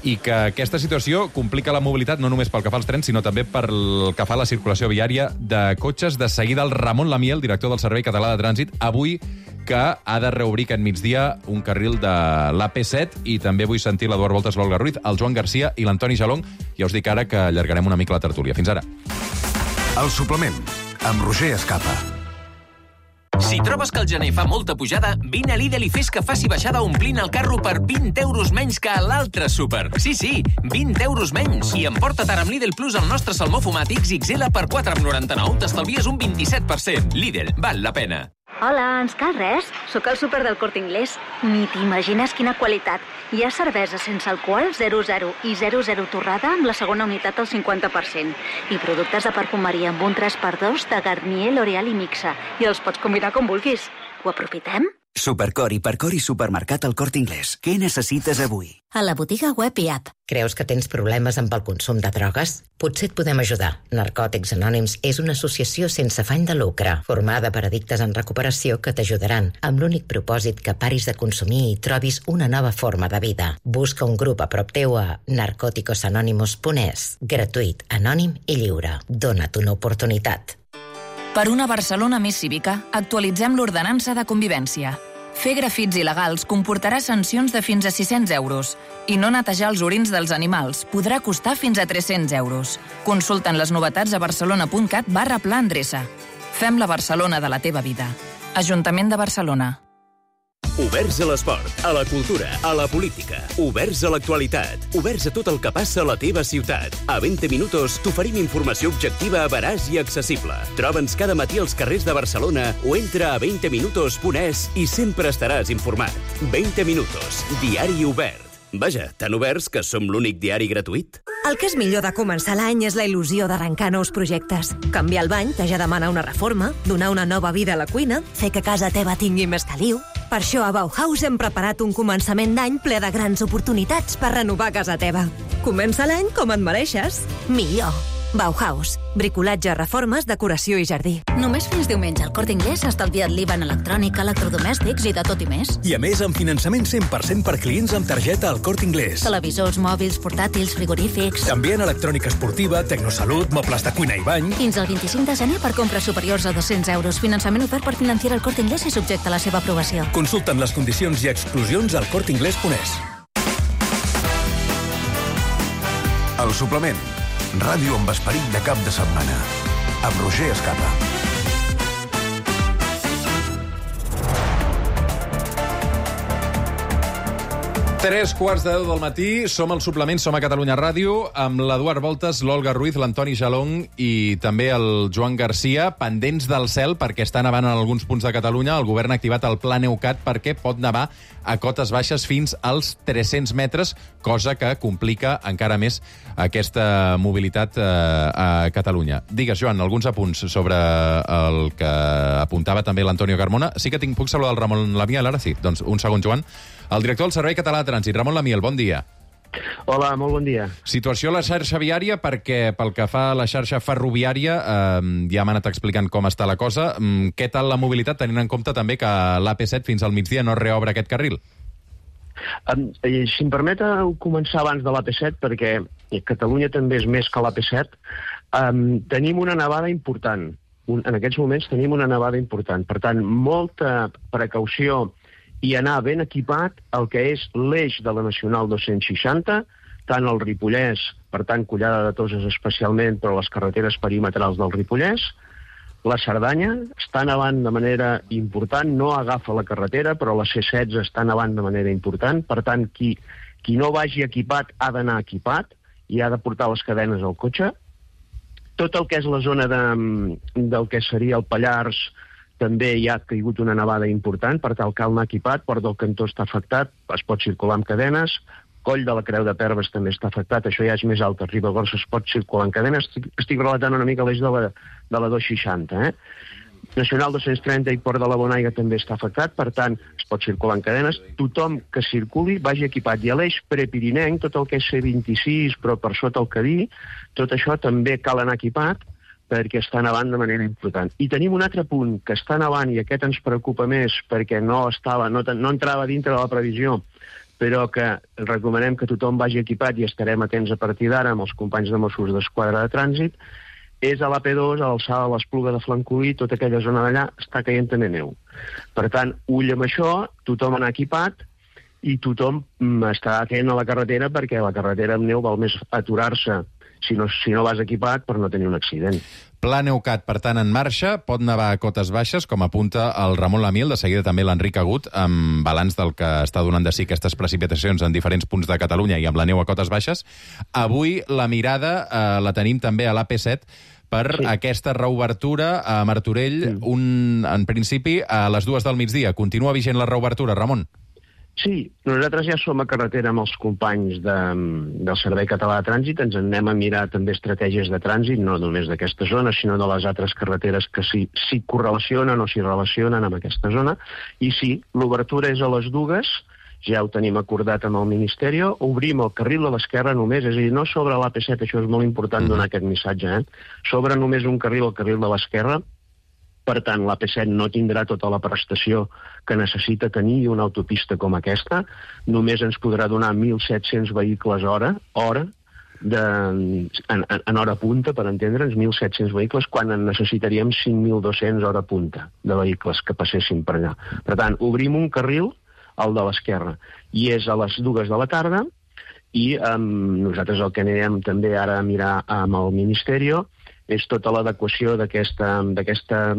i que aquesta situació complica la mobilitat no només pel que fa als trens, sinó també pel que fa a la circulació viària de cotxes. De seguida, el Ramon Lamiel, director del Servei Català de Trànsit, avui que ha de reobrir aquest migdia un carril de l'AP7, i també vull sentir l'Eduard Voltas, l'Olga Ruiz, el Joan Garcia i l'Antoni Jalón. Ja us dic ara que allargarem una mica la tertúlia. Fins ara. El suplement, amb Roger Escapa. Si trobes que el gener fa molta pujada, vine a Lidl i fes que faci baixada omplint el carro per 20 euros menys que a l'altre súper. Sí, 20 euros menys. I emporta't ara amb Lidl Plus el nostre salmó fumat XXL per 4,99. T'estalvies un 27%. Lidl, val la pena. Hola, ens cal res? Sóc al súper del Corte Inglés. Ni t'imagines quina qualitat. Hi ha cervesa sense alcohol 00 i 00 torrada amb la segona unitat al 50%. I productes de perfumeria amb un 3x2 de Garnier, L'Oreal i Mixa. I els pots combinar com vulguis. Ho aprofitem? Supercor, Hipercor i Supermercat al Corte Inglés. Què necessites avui? A la botiga web i app. Creus que tens problemes amb el consum de drogues? Potser et podem ajudar. Narcòtics Anònims és una associació sense afany de lucre, formada per addictes en recuperació que t'ajudaran, amb l'únic propòsit que paris de consumir i trobis una nova forma de vida. Busca un grup a prop teu a narcoticosanonymous.es. Gratuït, anònim i lliure. Dona't una oportunitat. Per una Barcelona més cívica, actualitzem l'ordenança de convivència. Fer grafits il·legals comportarà sancions de fins a 600 euros i no netejar els orins dels animals podrà costar fins a 300 euros. Consulta'n les novetats a barcelona.cat/pla endreça. Fem la Barcelona de la teva vida. Ajuntament de Barcelona. Oberts a l'esport, a la cultura, a la política. Oberts a l'actualitat. Oberts a tot el que passa a la teva ciutat. A 20 minutos t'oferim informació objectiva, veraç i accessible. Troba'ns cada matí als carrers de Barcelona o entra a 20minutos.es i sempre estaràs informat. 20 minutos, diari obert. Vaja, tan oberts que som l'únic diari gratuït. El que és millor de començar l'any és la il·lusió d'arrencar nous projectes. Canviar el bany, que ja demana una reforma, donar una nova vida a la cuina, fer que casa teva tingui més caliu. Per això a Bauhaus hem preparat un començament d'any ple de grans oportunitats per renovar casa teva. Comença l'any com et mereixes. Millor. Bauhaus. Bricolatge, reformes, decoració i jardí. Només fins diumenge al Corte Inglés ha estalviat l'IVA en electrònica, electrodomèstics i de tot i més. I a més, amb finançament 100% per clients amb targeta al Corte Inglés. Televisors, mòbils, portàtils, frigorífics... També en electrònica esportiva, tecnosalut, mobles de cuina i bany... Fins al 25 de gener per compres superiors a 200 euros. Finançament ofert per Financiera al Corte Inglés i subjecte a la seva aprovació. Consulta'n les condicions i exclusions al corteinglés.es. El suplement. Ràdio amb esperit de cap de setmana. Amb Roger Escapa. Tres quarts de 10 del matí, som al suplement, som a Catalunya Ràdio, amb l'Eduard Voltes, l'Olga Ruiz, l'Antoni Jalong i també el Joan Garcia, pendents del cel perquè està nevant en alguns punts de Catalunya. El govern ha activat el Pla Neucat perquè pot nevar a cotes baixes fins als 300 metres, cosa que complica encara més aquesta mobilitat a Catalunya. Digues, Joan, alguns apunts sobre el que apuntava també l'Antonio Carmona. Sí que puc saludar el Ramon Lamiel, ara sí. Doncs un segon, Joan. El director del Servei Català de Trànsit, Ramon Lamiel, bon dia. Hola, molt bon dia. Situació a la xarxa viària, perquè pel que fa a la xarxa ferroviària ja m'han anat explicant com està la cosa. Què tal la mobilitat, tenint en compte també que l'AP7 fins al migdia no reobre aquest carril? Si em permeteu començar abans de l'AP7, perquè Catalunya també és més que l'AP7, tenim una nevada important. En aquests moments tenim una nevada important. Per tant, molta precaució i anar ben equipat el que és l'eix de la Nacional 260, tant el Ripollès, per tant, Collada de Toses especialment, però les carreteres perimetrals del Ripollès. La Cerdanya està nevant de manera important, no agafa la carretera, però la C16 està nevant de manera important. Per tant, qui no vagi equipat ha d'anar equipat i ha de portar les cadenes al cotxe. Tot el que és la zona del que seria el Pallars, també hi ha caigut una nevada important, per tal cal anar equipat. Port del Cantó està afectat, es pot circular amb cadenes. Coll de la Creu de Perves també està afectat, això ja és més alt. A Ribagorça es pot circular amb cadenes. Estic relatant una mica l'eix de la 260. Nacional 230 i Port de la Bonaiga també està afectat, per tant, es pot circular amb cadenes. Tothom que circuli vagi equipat. I a l'eix prepirinenc, tot el que és C26, però per sota el Cadí, tot això també cal anar equipat, perquè està nevant de manera important. I tenim un altre punt que està nevant, i aquest ens preocupa més perquè no entrava dintre de la previsió, però que recomanem que tothom vagi equipat i estarem atents a partir d'ara amb els companys de Mossos d'Esquadra de Trànsit, és a l'AP2, a l'alçada de l'Espluga de Francolí, tota aquella zona d'allà està caient també neu. Per tant, ull amb això, tothom anar equipat i tothom està atent a la carretera, perquè a la carretera amb neu val més aturar-se si no vas equipat per no tenir un accident. Pla Neucat, per tant, en marxa, pot nevar a cotes baixes, com apunta el Ramon Lamiel, de seguida també l'Enric Agut, amb balanç del que està donant de si aquestes precipitacions en diferents punts de Catalunya i amb la neu a cotes baixes. Avui la mirada la tenim també a l'AP7, per aquesta reobertura a Martorell, en principi, a les 2 del migdia. Continua vigent la reobertura, Ramon? Sí, nosaltres ja som a carretera amb els companys del Servei Català de Trànsit, ens anem a mirar també estratègies de trànsit, no només d'aquesta zona, sinó de les altres carreteres que s'hi correlacionen o s'hi relacionen amb aquesta zona, i sí, l'obertura és a les 2, ja ho tenim acordat amb el Ministeri, obrim el carril de l'esquerra només, és a dir, no sobre l'AP7, això és molt important donar aquest missatge, sobre només un carril, el carril de l'esquerra. Per tant, l'AP7 no tindrà tota la prestació que necessita tenir una autopista com aquesta. Només ens podrà donar 1.700 vehicles hora en hora punta, per entendre'ns, 1.700 vehicles, quan en necessitaríem 5.200 hora punta de vehicles que passessin per allà. Per tant, obrim un carril, el de l'esquerra, i és a les 2 de la tarda, i nosaltres el que anirem també ara a mirar amb el Ministeri és tota l'adequació d'aquesta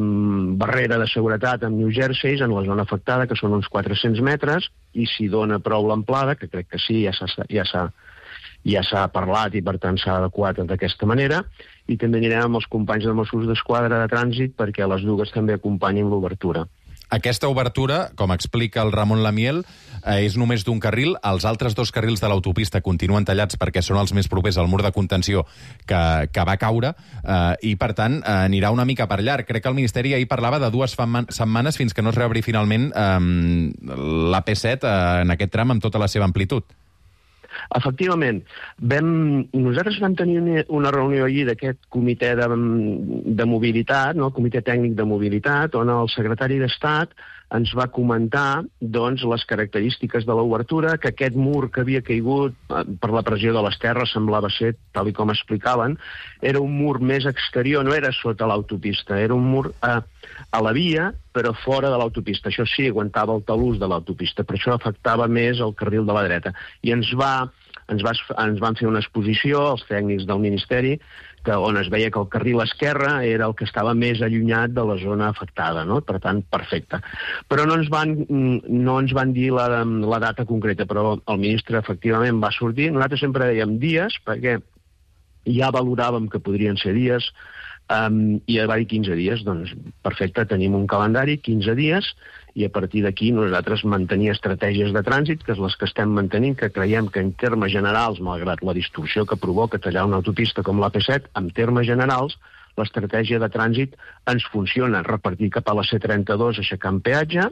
barrera de seguretat amb New Jersey en la zona afectada, que són uns 400 metres, i si dona prou l'amplada, que crec que sí, ja s'ha parlat i per tant s'ha adequat d'aquesta manera, i també anirem amb els companys de Mossos d'Esquadra de Trànsit perquè a les 2 també acompanyin l'obertura. Aquesta obertura, com explica el Ramon Lamiel, és només d'un carril. Els altres 2 carrils de l'autopista continuen tallats perquè són els més propers al mur de contenció que va caure i, per tant, anirà una mica per llarg. Crec que el Ministeri ahir parlava de 2 setmanes fins que no es reobri finalment l'AP7 en aquest tram amb tota la seva amplitud. Efectivament, nosaltres vam tenir una reunió ahir d'aquest comitè de mobilitat, el comitè tècnic de mobilitat, on el secretari d'Estat ens va comentar les característiques de l'obertura, que aquest mur que havia caigut per la pressió de les terres semblava ser, tal com explicaven, era un mur més exterior, no era sota l'autopista, era un mur a la via, però fora de l'autopista. Això sí, aguantava el talús de l'autopista, per això afectava més el carril de la dreta. I ens van fer una exposició, els tècnics del Ministeri, on es veia que el carril esquerre era el que estava més allunyat de la zona afectada, no? Per tant, perfecte. Però no ens van dir la data concreta, però el ministre efectivament va sortir. Nosaltres sempre dèiem dies, perquè ja valoràvem que podrien ser dies, i va dir 15 dies. Doncs perfecte, tenim un calendari, 15 dies, i a partir d'aquí nosaltres mantenir estratègies de trànsit, que és les que estem mantenint, que creiem que en termes generals, malgrat la distorsió que provoca tallar una autopista com l'AP7, en termes generals, l'estratègia de trànsit ens funciona. Repartir cap a la C32 aixecant peatge,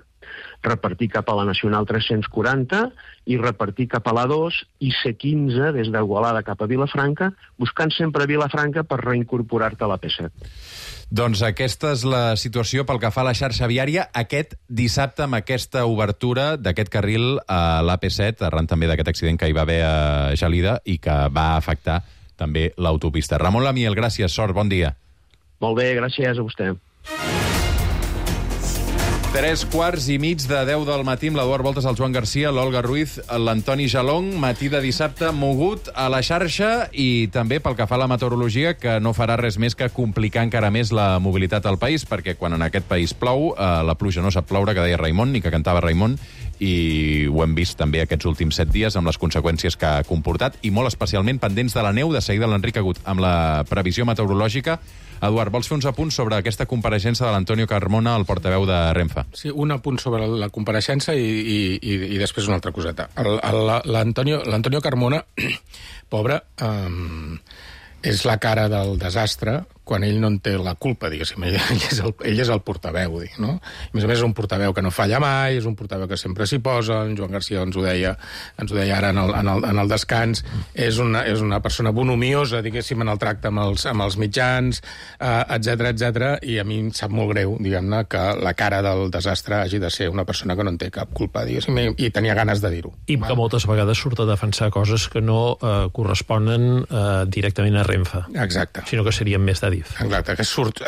repartir cap a la Nacional 340 i repartir cap a la 2 i C15 des d'Igualada cap a Vilafranca, buscant sempre Vilafranca per reincorporar-te a l'AP7. Doncs aquesta és la situació pel que fa a la xarxa viària aquest dissabte amb aquesta obertura d'aquest carril a l'AP7, arran també d'aquest accident que hi va haver a Gelida i que va afectar també l'autopista. Ramon Lamiel, gràcies, sort, bon dia. Molt bé, gràcies a vostè. 3:15 de 10 del matí amb l'Eduard Voltes, el Joan Garcia, l'Olga Ruiz, l'Antoni Jalong, matí de dissabte mogut a la xarxa i també pel que fa a la meteorologia, que no farà res més que complicar encara més la mobilitat al país, perquè quan en aquest país plou, la pluja no sap ploure, que deia Raimon, ni que cantava Raimon, i ho hem vist també aquests últims 7 dies amb les conseqüències que ha comportat, i molt especialment pendents de la neu. De seguida l'Enric Agut amb la previsió meteorològica. Eduard, vols fer uns apunts sobre aquesta compareixença de l'Antonio Carmona, el portaveu de Renfe? Sí, un apunt sobre la compareixença i després una altra coseta. L'Antonio Carmona, pobre, és la cara del desastre quan ell no en té la culpa, diguéssim. Ell és el portaveu, no? A més és un portaveu que no falla mai, és un portaveu que sempre s'hi posa, en Joan Garcia ens ho deia ara en el descans, és una persona bonhomiosa, diguéssim, en el tracte amb els mitjans, etc, i a mi em sap molt greu, diguem-ne, que la cara del desastre hagi de ser una persona que no en té cap culpa, diguéssim, i tenia ganes de dir-ho. I que moltes vegades surt a defensar coses que no corresponen directament a Renfe. Exacte. Sinó que serien més d'Adif. Exacte, surt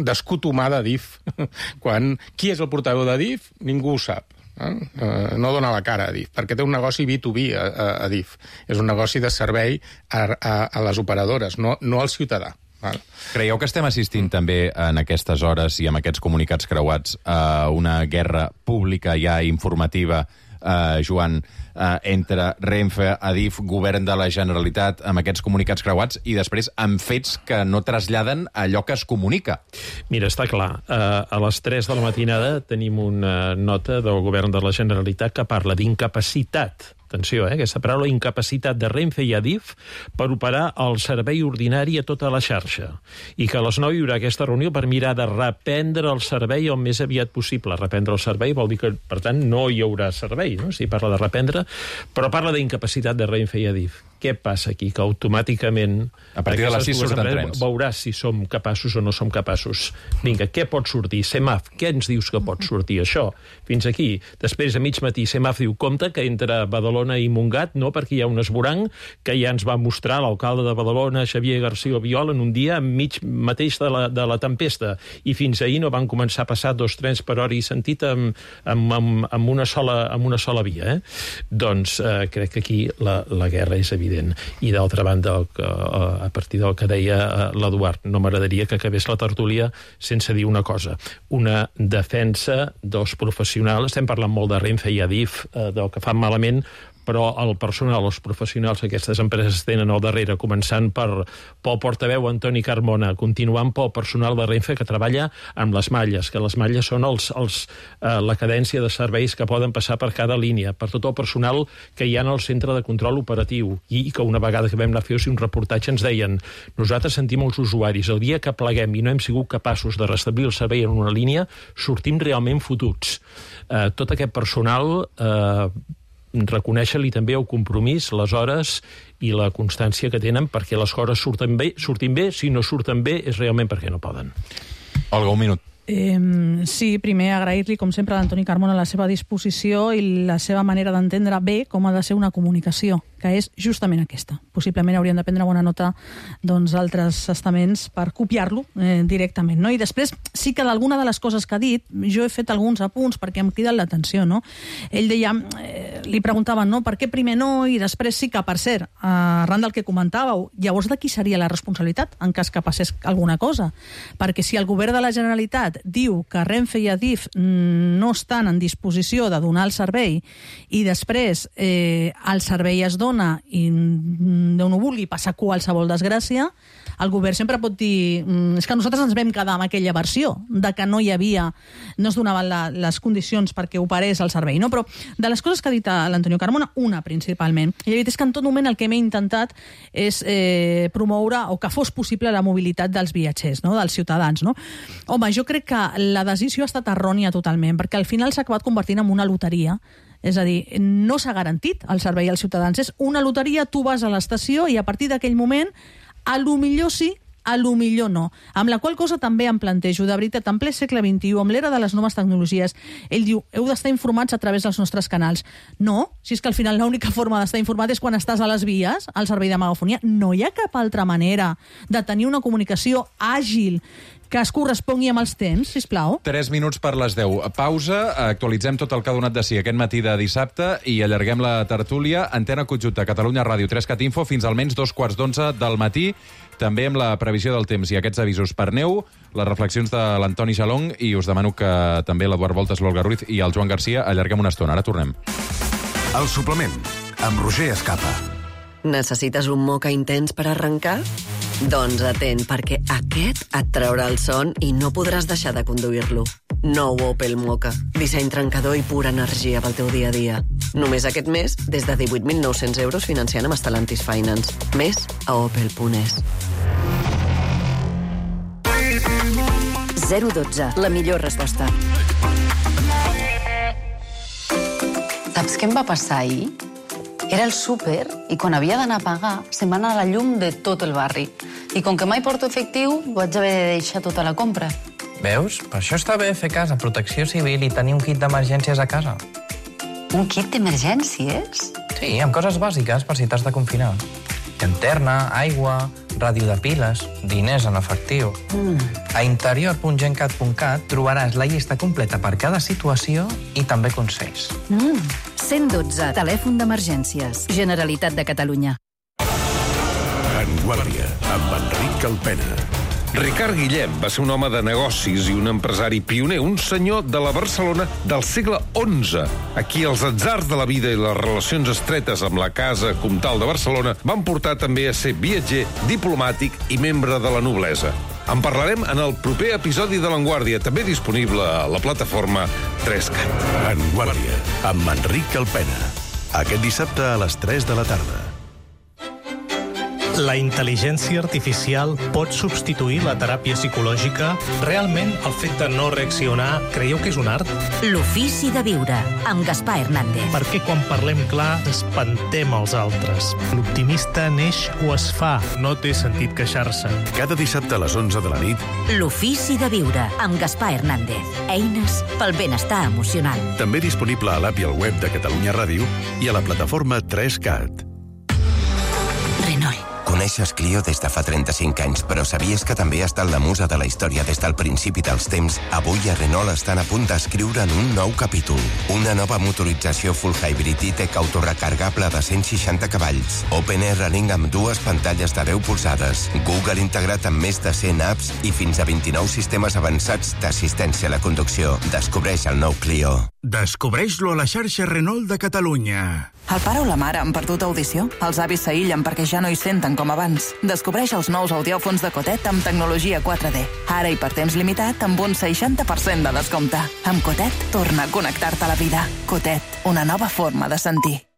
d'escut humà d'Adif. Qui és el portaveu d'Adif? Ningú ho sap. No dona la cara a Adif, perquè té un negoci B2B a Adif. És un negoci de servei a les operadores, no al ciutadà. Creieu que estem assistint també en aquestes hores i amb aquests comunicats creuats a una guerra pública ja informativa, Joan, entre Renfe, Adif, govern de la Generalitat, amb aquests comunicats creuats, i després amb fets que no traslladen allò que es comunica. Mira, està clar. A les 3 de la matinada tenim una nota del govern de la Generalitat que parla d'incapacitat, atenció, aquesta paraula, incapacitat de Renfe i Adif per operar el servei ordinari a tota la xarxa. I que a les 9 hi haurà aquesta reunió per mirar de reprendre el servei el més aviat possible. Reprendre el servei vol dir que, per tant, no hi haurà servei, no? Si parla de reprendre, però parla d'incapacitat de Renfe i Adif. Què passa aquí? Que automàticament a partir de les 6 surten trens. Veuràs si som capaços o no som capaços. Vinga, què pot sortir? Semaf, què ens dius que pot sortir? Això, fins aquí. Després, a mig matí, Semaf diu, compte que entre Badalona i Montgat, no, perquè hi ha un esvoranc que ja ens va mostrar l'alcalde de Badalona, Xavier García Albiol, en un dia enmig mateix de la tempesta. I fins ahir no van començar a passar 2 trens per hora i sentit amb una sola via. Doncs crec que aquí la guerra és evident. I d'altra banda, a partir del que deia l'Eduard, no m'agradaria que acabés la tertúlia sense dir una cosa. Una defensa dels professionals, estem parlant molt de Renfe i Adif, del que fan malament, però el personal, els professionals d'aquestes empreses tenen al darrere, començant pel portaveu Antoni Carmona, continuant pel personal de Renfe que treballa amb les malles, que les malles són la cadència de serveis que poden passar per cada línia, per tot el personal que hi ha en el centre de control operatiu, i que una vegada que vam anar a fer un reportatge ens deien, nosaltres sentim els usuaris, el dia que pleguem i no hem sigut capaços de restablir el servei en una línia, sortim realment fotuts. Tot aquest personal reconèixer-li també el compromís, les hores i la constància que tenen perquè les coses surtin bé, si no surten bé és realment perquè no poden. Olga, un minut. Sí, primer agrair-li, com sempre, a l'Antoni Carmona la seva disposició i la seva manera d'entendre bé com ha de ser una comunicació, que és justament aquesta. Possiblement haurien de prendre bona nota d'altres estaments per copiar-lo directament. No? I després, sí que d'alguna de les coses que ha dit, jo he fet alguns apunts perquè em criden l'atenció. No? Ell deia, li preguntaven, no? Per què primer no i després sí que, per cert, arran del que comentàveu, llavors de qui seria la responsabilitat en cas que passés alguna cosa? Perquè si el govern de la Generalitat diu que Renfe i Adif no estan en disposició de donar el servei i després el servei es dona i Déu no vulgui passar qualsevol desgràcia, el govern sempre pot dir és que nosaltres ens vam quedar amb aquella versió de que no es donaven les condicions perquè operés el servei. No? Però de les coses que ha dit l'Antonio Carmona, una principalment, i la veritat és que en tot moment el que m'he intentat és promoure o que fos possible la mobilitat dels viatgers, no? Dels ciutadans. No? Home, jo crec que la decisió ha estat errònia totalment, perquè al final s'ha acabat convertint en una loteria. És a dir, no s'ha garantit el servei als ciutadans. És una loteria, tu vas a l'estació i a partir d'aquell moment, a lo millor sí, a lo millor no. Amb la qual cosa també em plantejo, de veritat, en ple segle XXI, amb l'era de les noves tecnologies, ell diu, heu d'estar informats a través dels nostres canals. No, si és que al final l'única forma d'estar informat és quan estàs a les vies, al servei de megafonia. No hi ha cap altra manera de tenir una comunicació àgil que es correspongui amb els temps, sisplau. 3 minuts per les 10. Pausa, actualitzem tot el que ha donat de si aquest matí de dissabte i allarguem la tertúlia. Antena conjunta Catalunya Ràdio 3CAT Info fins almenys 2:15 del matí, també amb la previsió del temps i aquests avisos per neu, les reflexions de l'Antoni Jalong i us demano que també l'Eduard Voltes, l'Olga Ruiz i el Joan Garcia allarguem una estona. Ara tornem. El suplement, amb Roger Escapa. Necessites un moca intens per arrencar? Doncs atent, perquè aquest et traurà el son i no podràs deixar de conduir-lo. Nou Opel Moka. Disseny trencador i pura energia pel teu dia a dia. Només aquest mes, des de 18.900 euros financiant amb Stellantis Finance. Més a opel.es. 012, la millor resposta. Saps què em va passar ahir? Era el súper i quan havia d'anar a pagar se'm va anar la llum de tot el barri. I com que mai porto efectiu, vaig haver de deixar tota la compra. Veus? Per això està bé fer cas a Protecció Civil i tenir un kit d'emergències a casa. Un kit d'emergències? Sí, amb coses bàsiques per si t'has de confinar. Llanterna, aigua, ràdio de piles, diners en efectiu. A interior.gencat.cat trobaràs la llista completa per cada situació i també consells. 112, telèfon d'emergències. Generalitat de Catalunya. En Guàrdia, amb Enric Calpena. Ricard Guillem va ser un home de negocis i un empresari pioner, un senyor de la Barcelona del segle XI, a qui els atzars de la vida i les relacions estretes amb la Casa Comtal de Barcelona van portar també a ser viatger, diplomàtic i membre de la noblesa. En parlarem en el proper episodi de L'Enguàrdia, també disponible a la plataforma 3CAT. Enguàrdia, amb Enric Alpena. Aquest dissabte a les 3 de la tarda. La intel·ligència artificial pot substituir la teràpia psicològica? Realment, el fet de no reaccionar, creieu que és un art? L'ofici de viure, amb Gaspar Hernández. Perquè quan parlem clar, espantem els altres. L'optimista neix o es fa, no té sentit queixar-se. Cada dissabte a les 11 de la nit. L'ofici de viure, amb Gaspar Hernández. Eines pel benestar emocional. També disponible a l'app i al web de Catalunya Ràdio i a la plataforma 3CAT. Renault. Coneixes Clio des de fa 35 anys, però sabies que també ha estat la musa de la història des del principi dels temps? Avui a Renault estan a punt d'escriure en un nou capítol. Una nova motorització full hybrid i-tech autorecargable de 160 cavalls. Open Air Running amb 2 pantalles de 10 polzades. Google integrat amb més de 100 apps i fins a 29 sistemes avançats d'assistència a la conducció. Descobreix el nou Clio. Descobreix-lo a la xarxa Renault de Catalunya. El pare o la mare han perdut audició? Els avis s'aïllen perquè ja no hi senten com abans. Descobreix els nous audiòfons de Cotet amb tecnologia 4D. Ara i per temps limitat amb un 60% de descompte. Amb Cotet, torna a connectar-te a la vida. Cotet, una nova forma de sentir.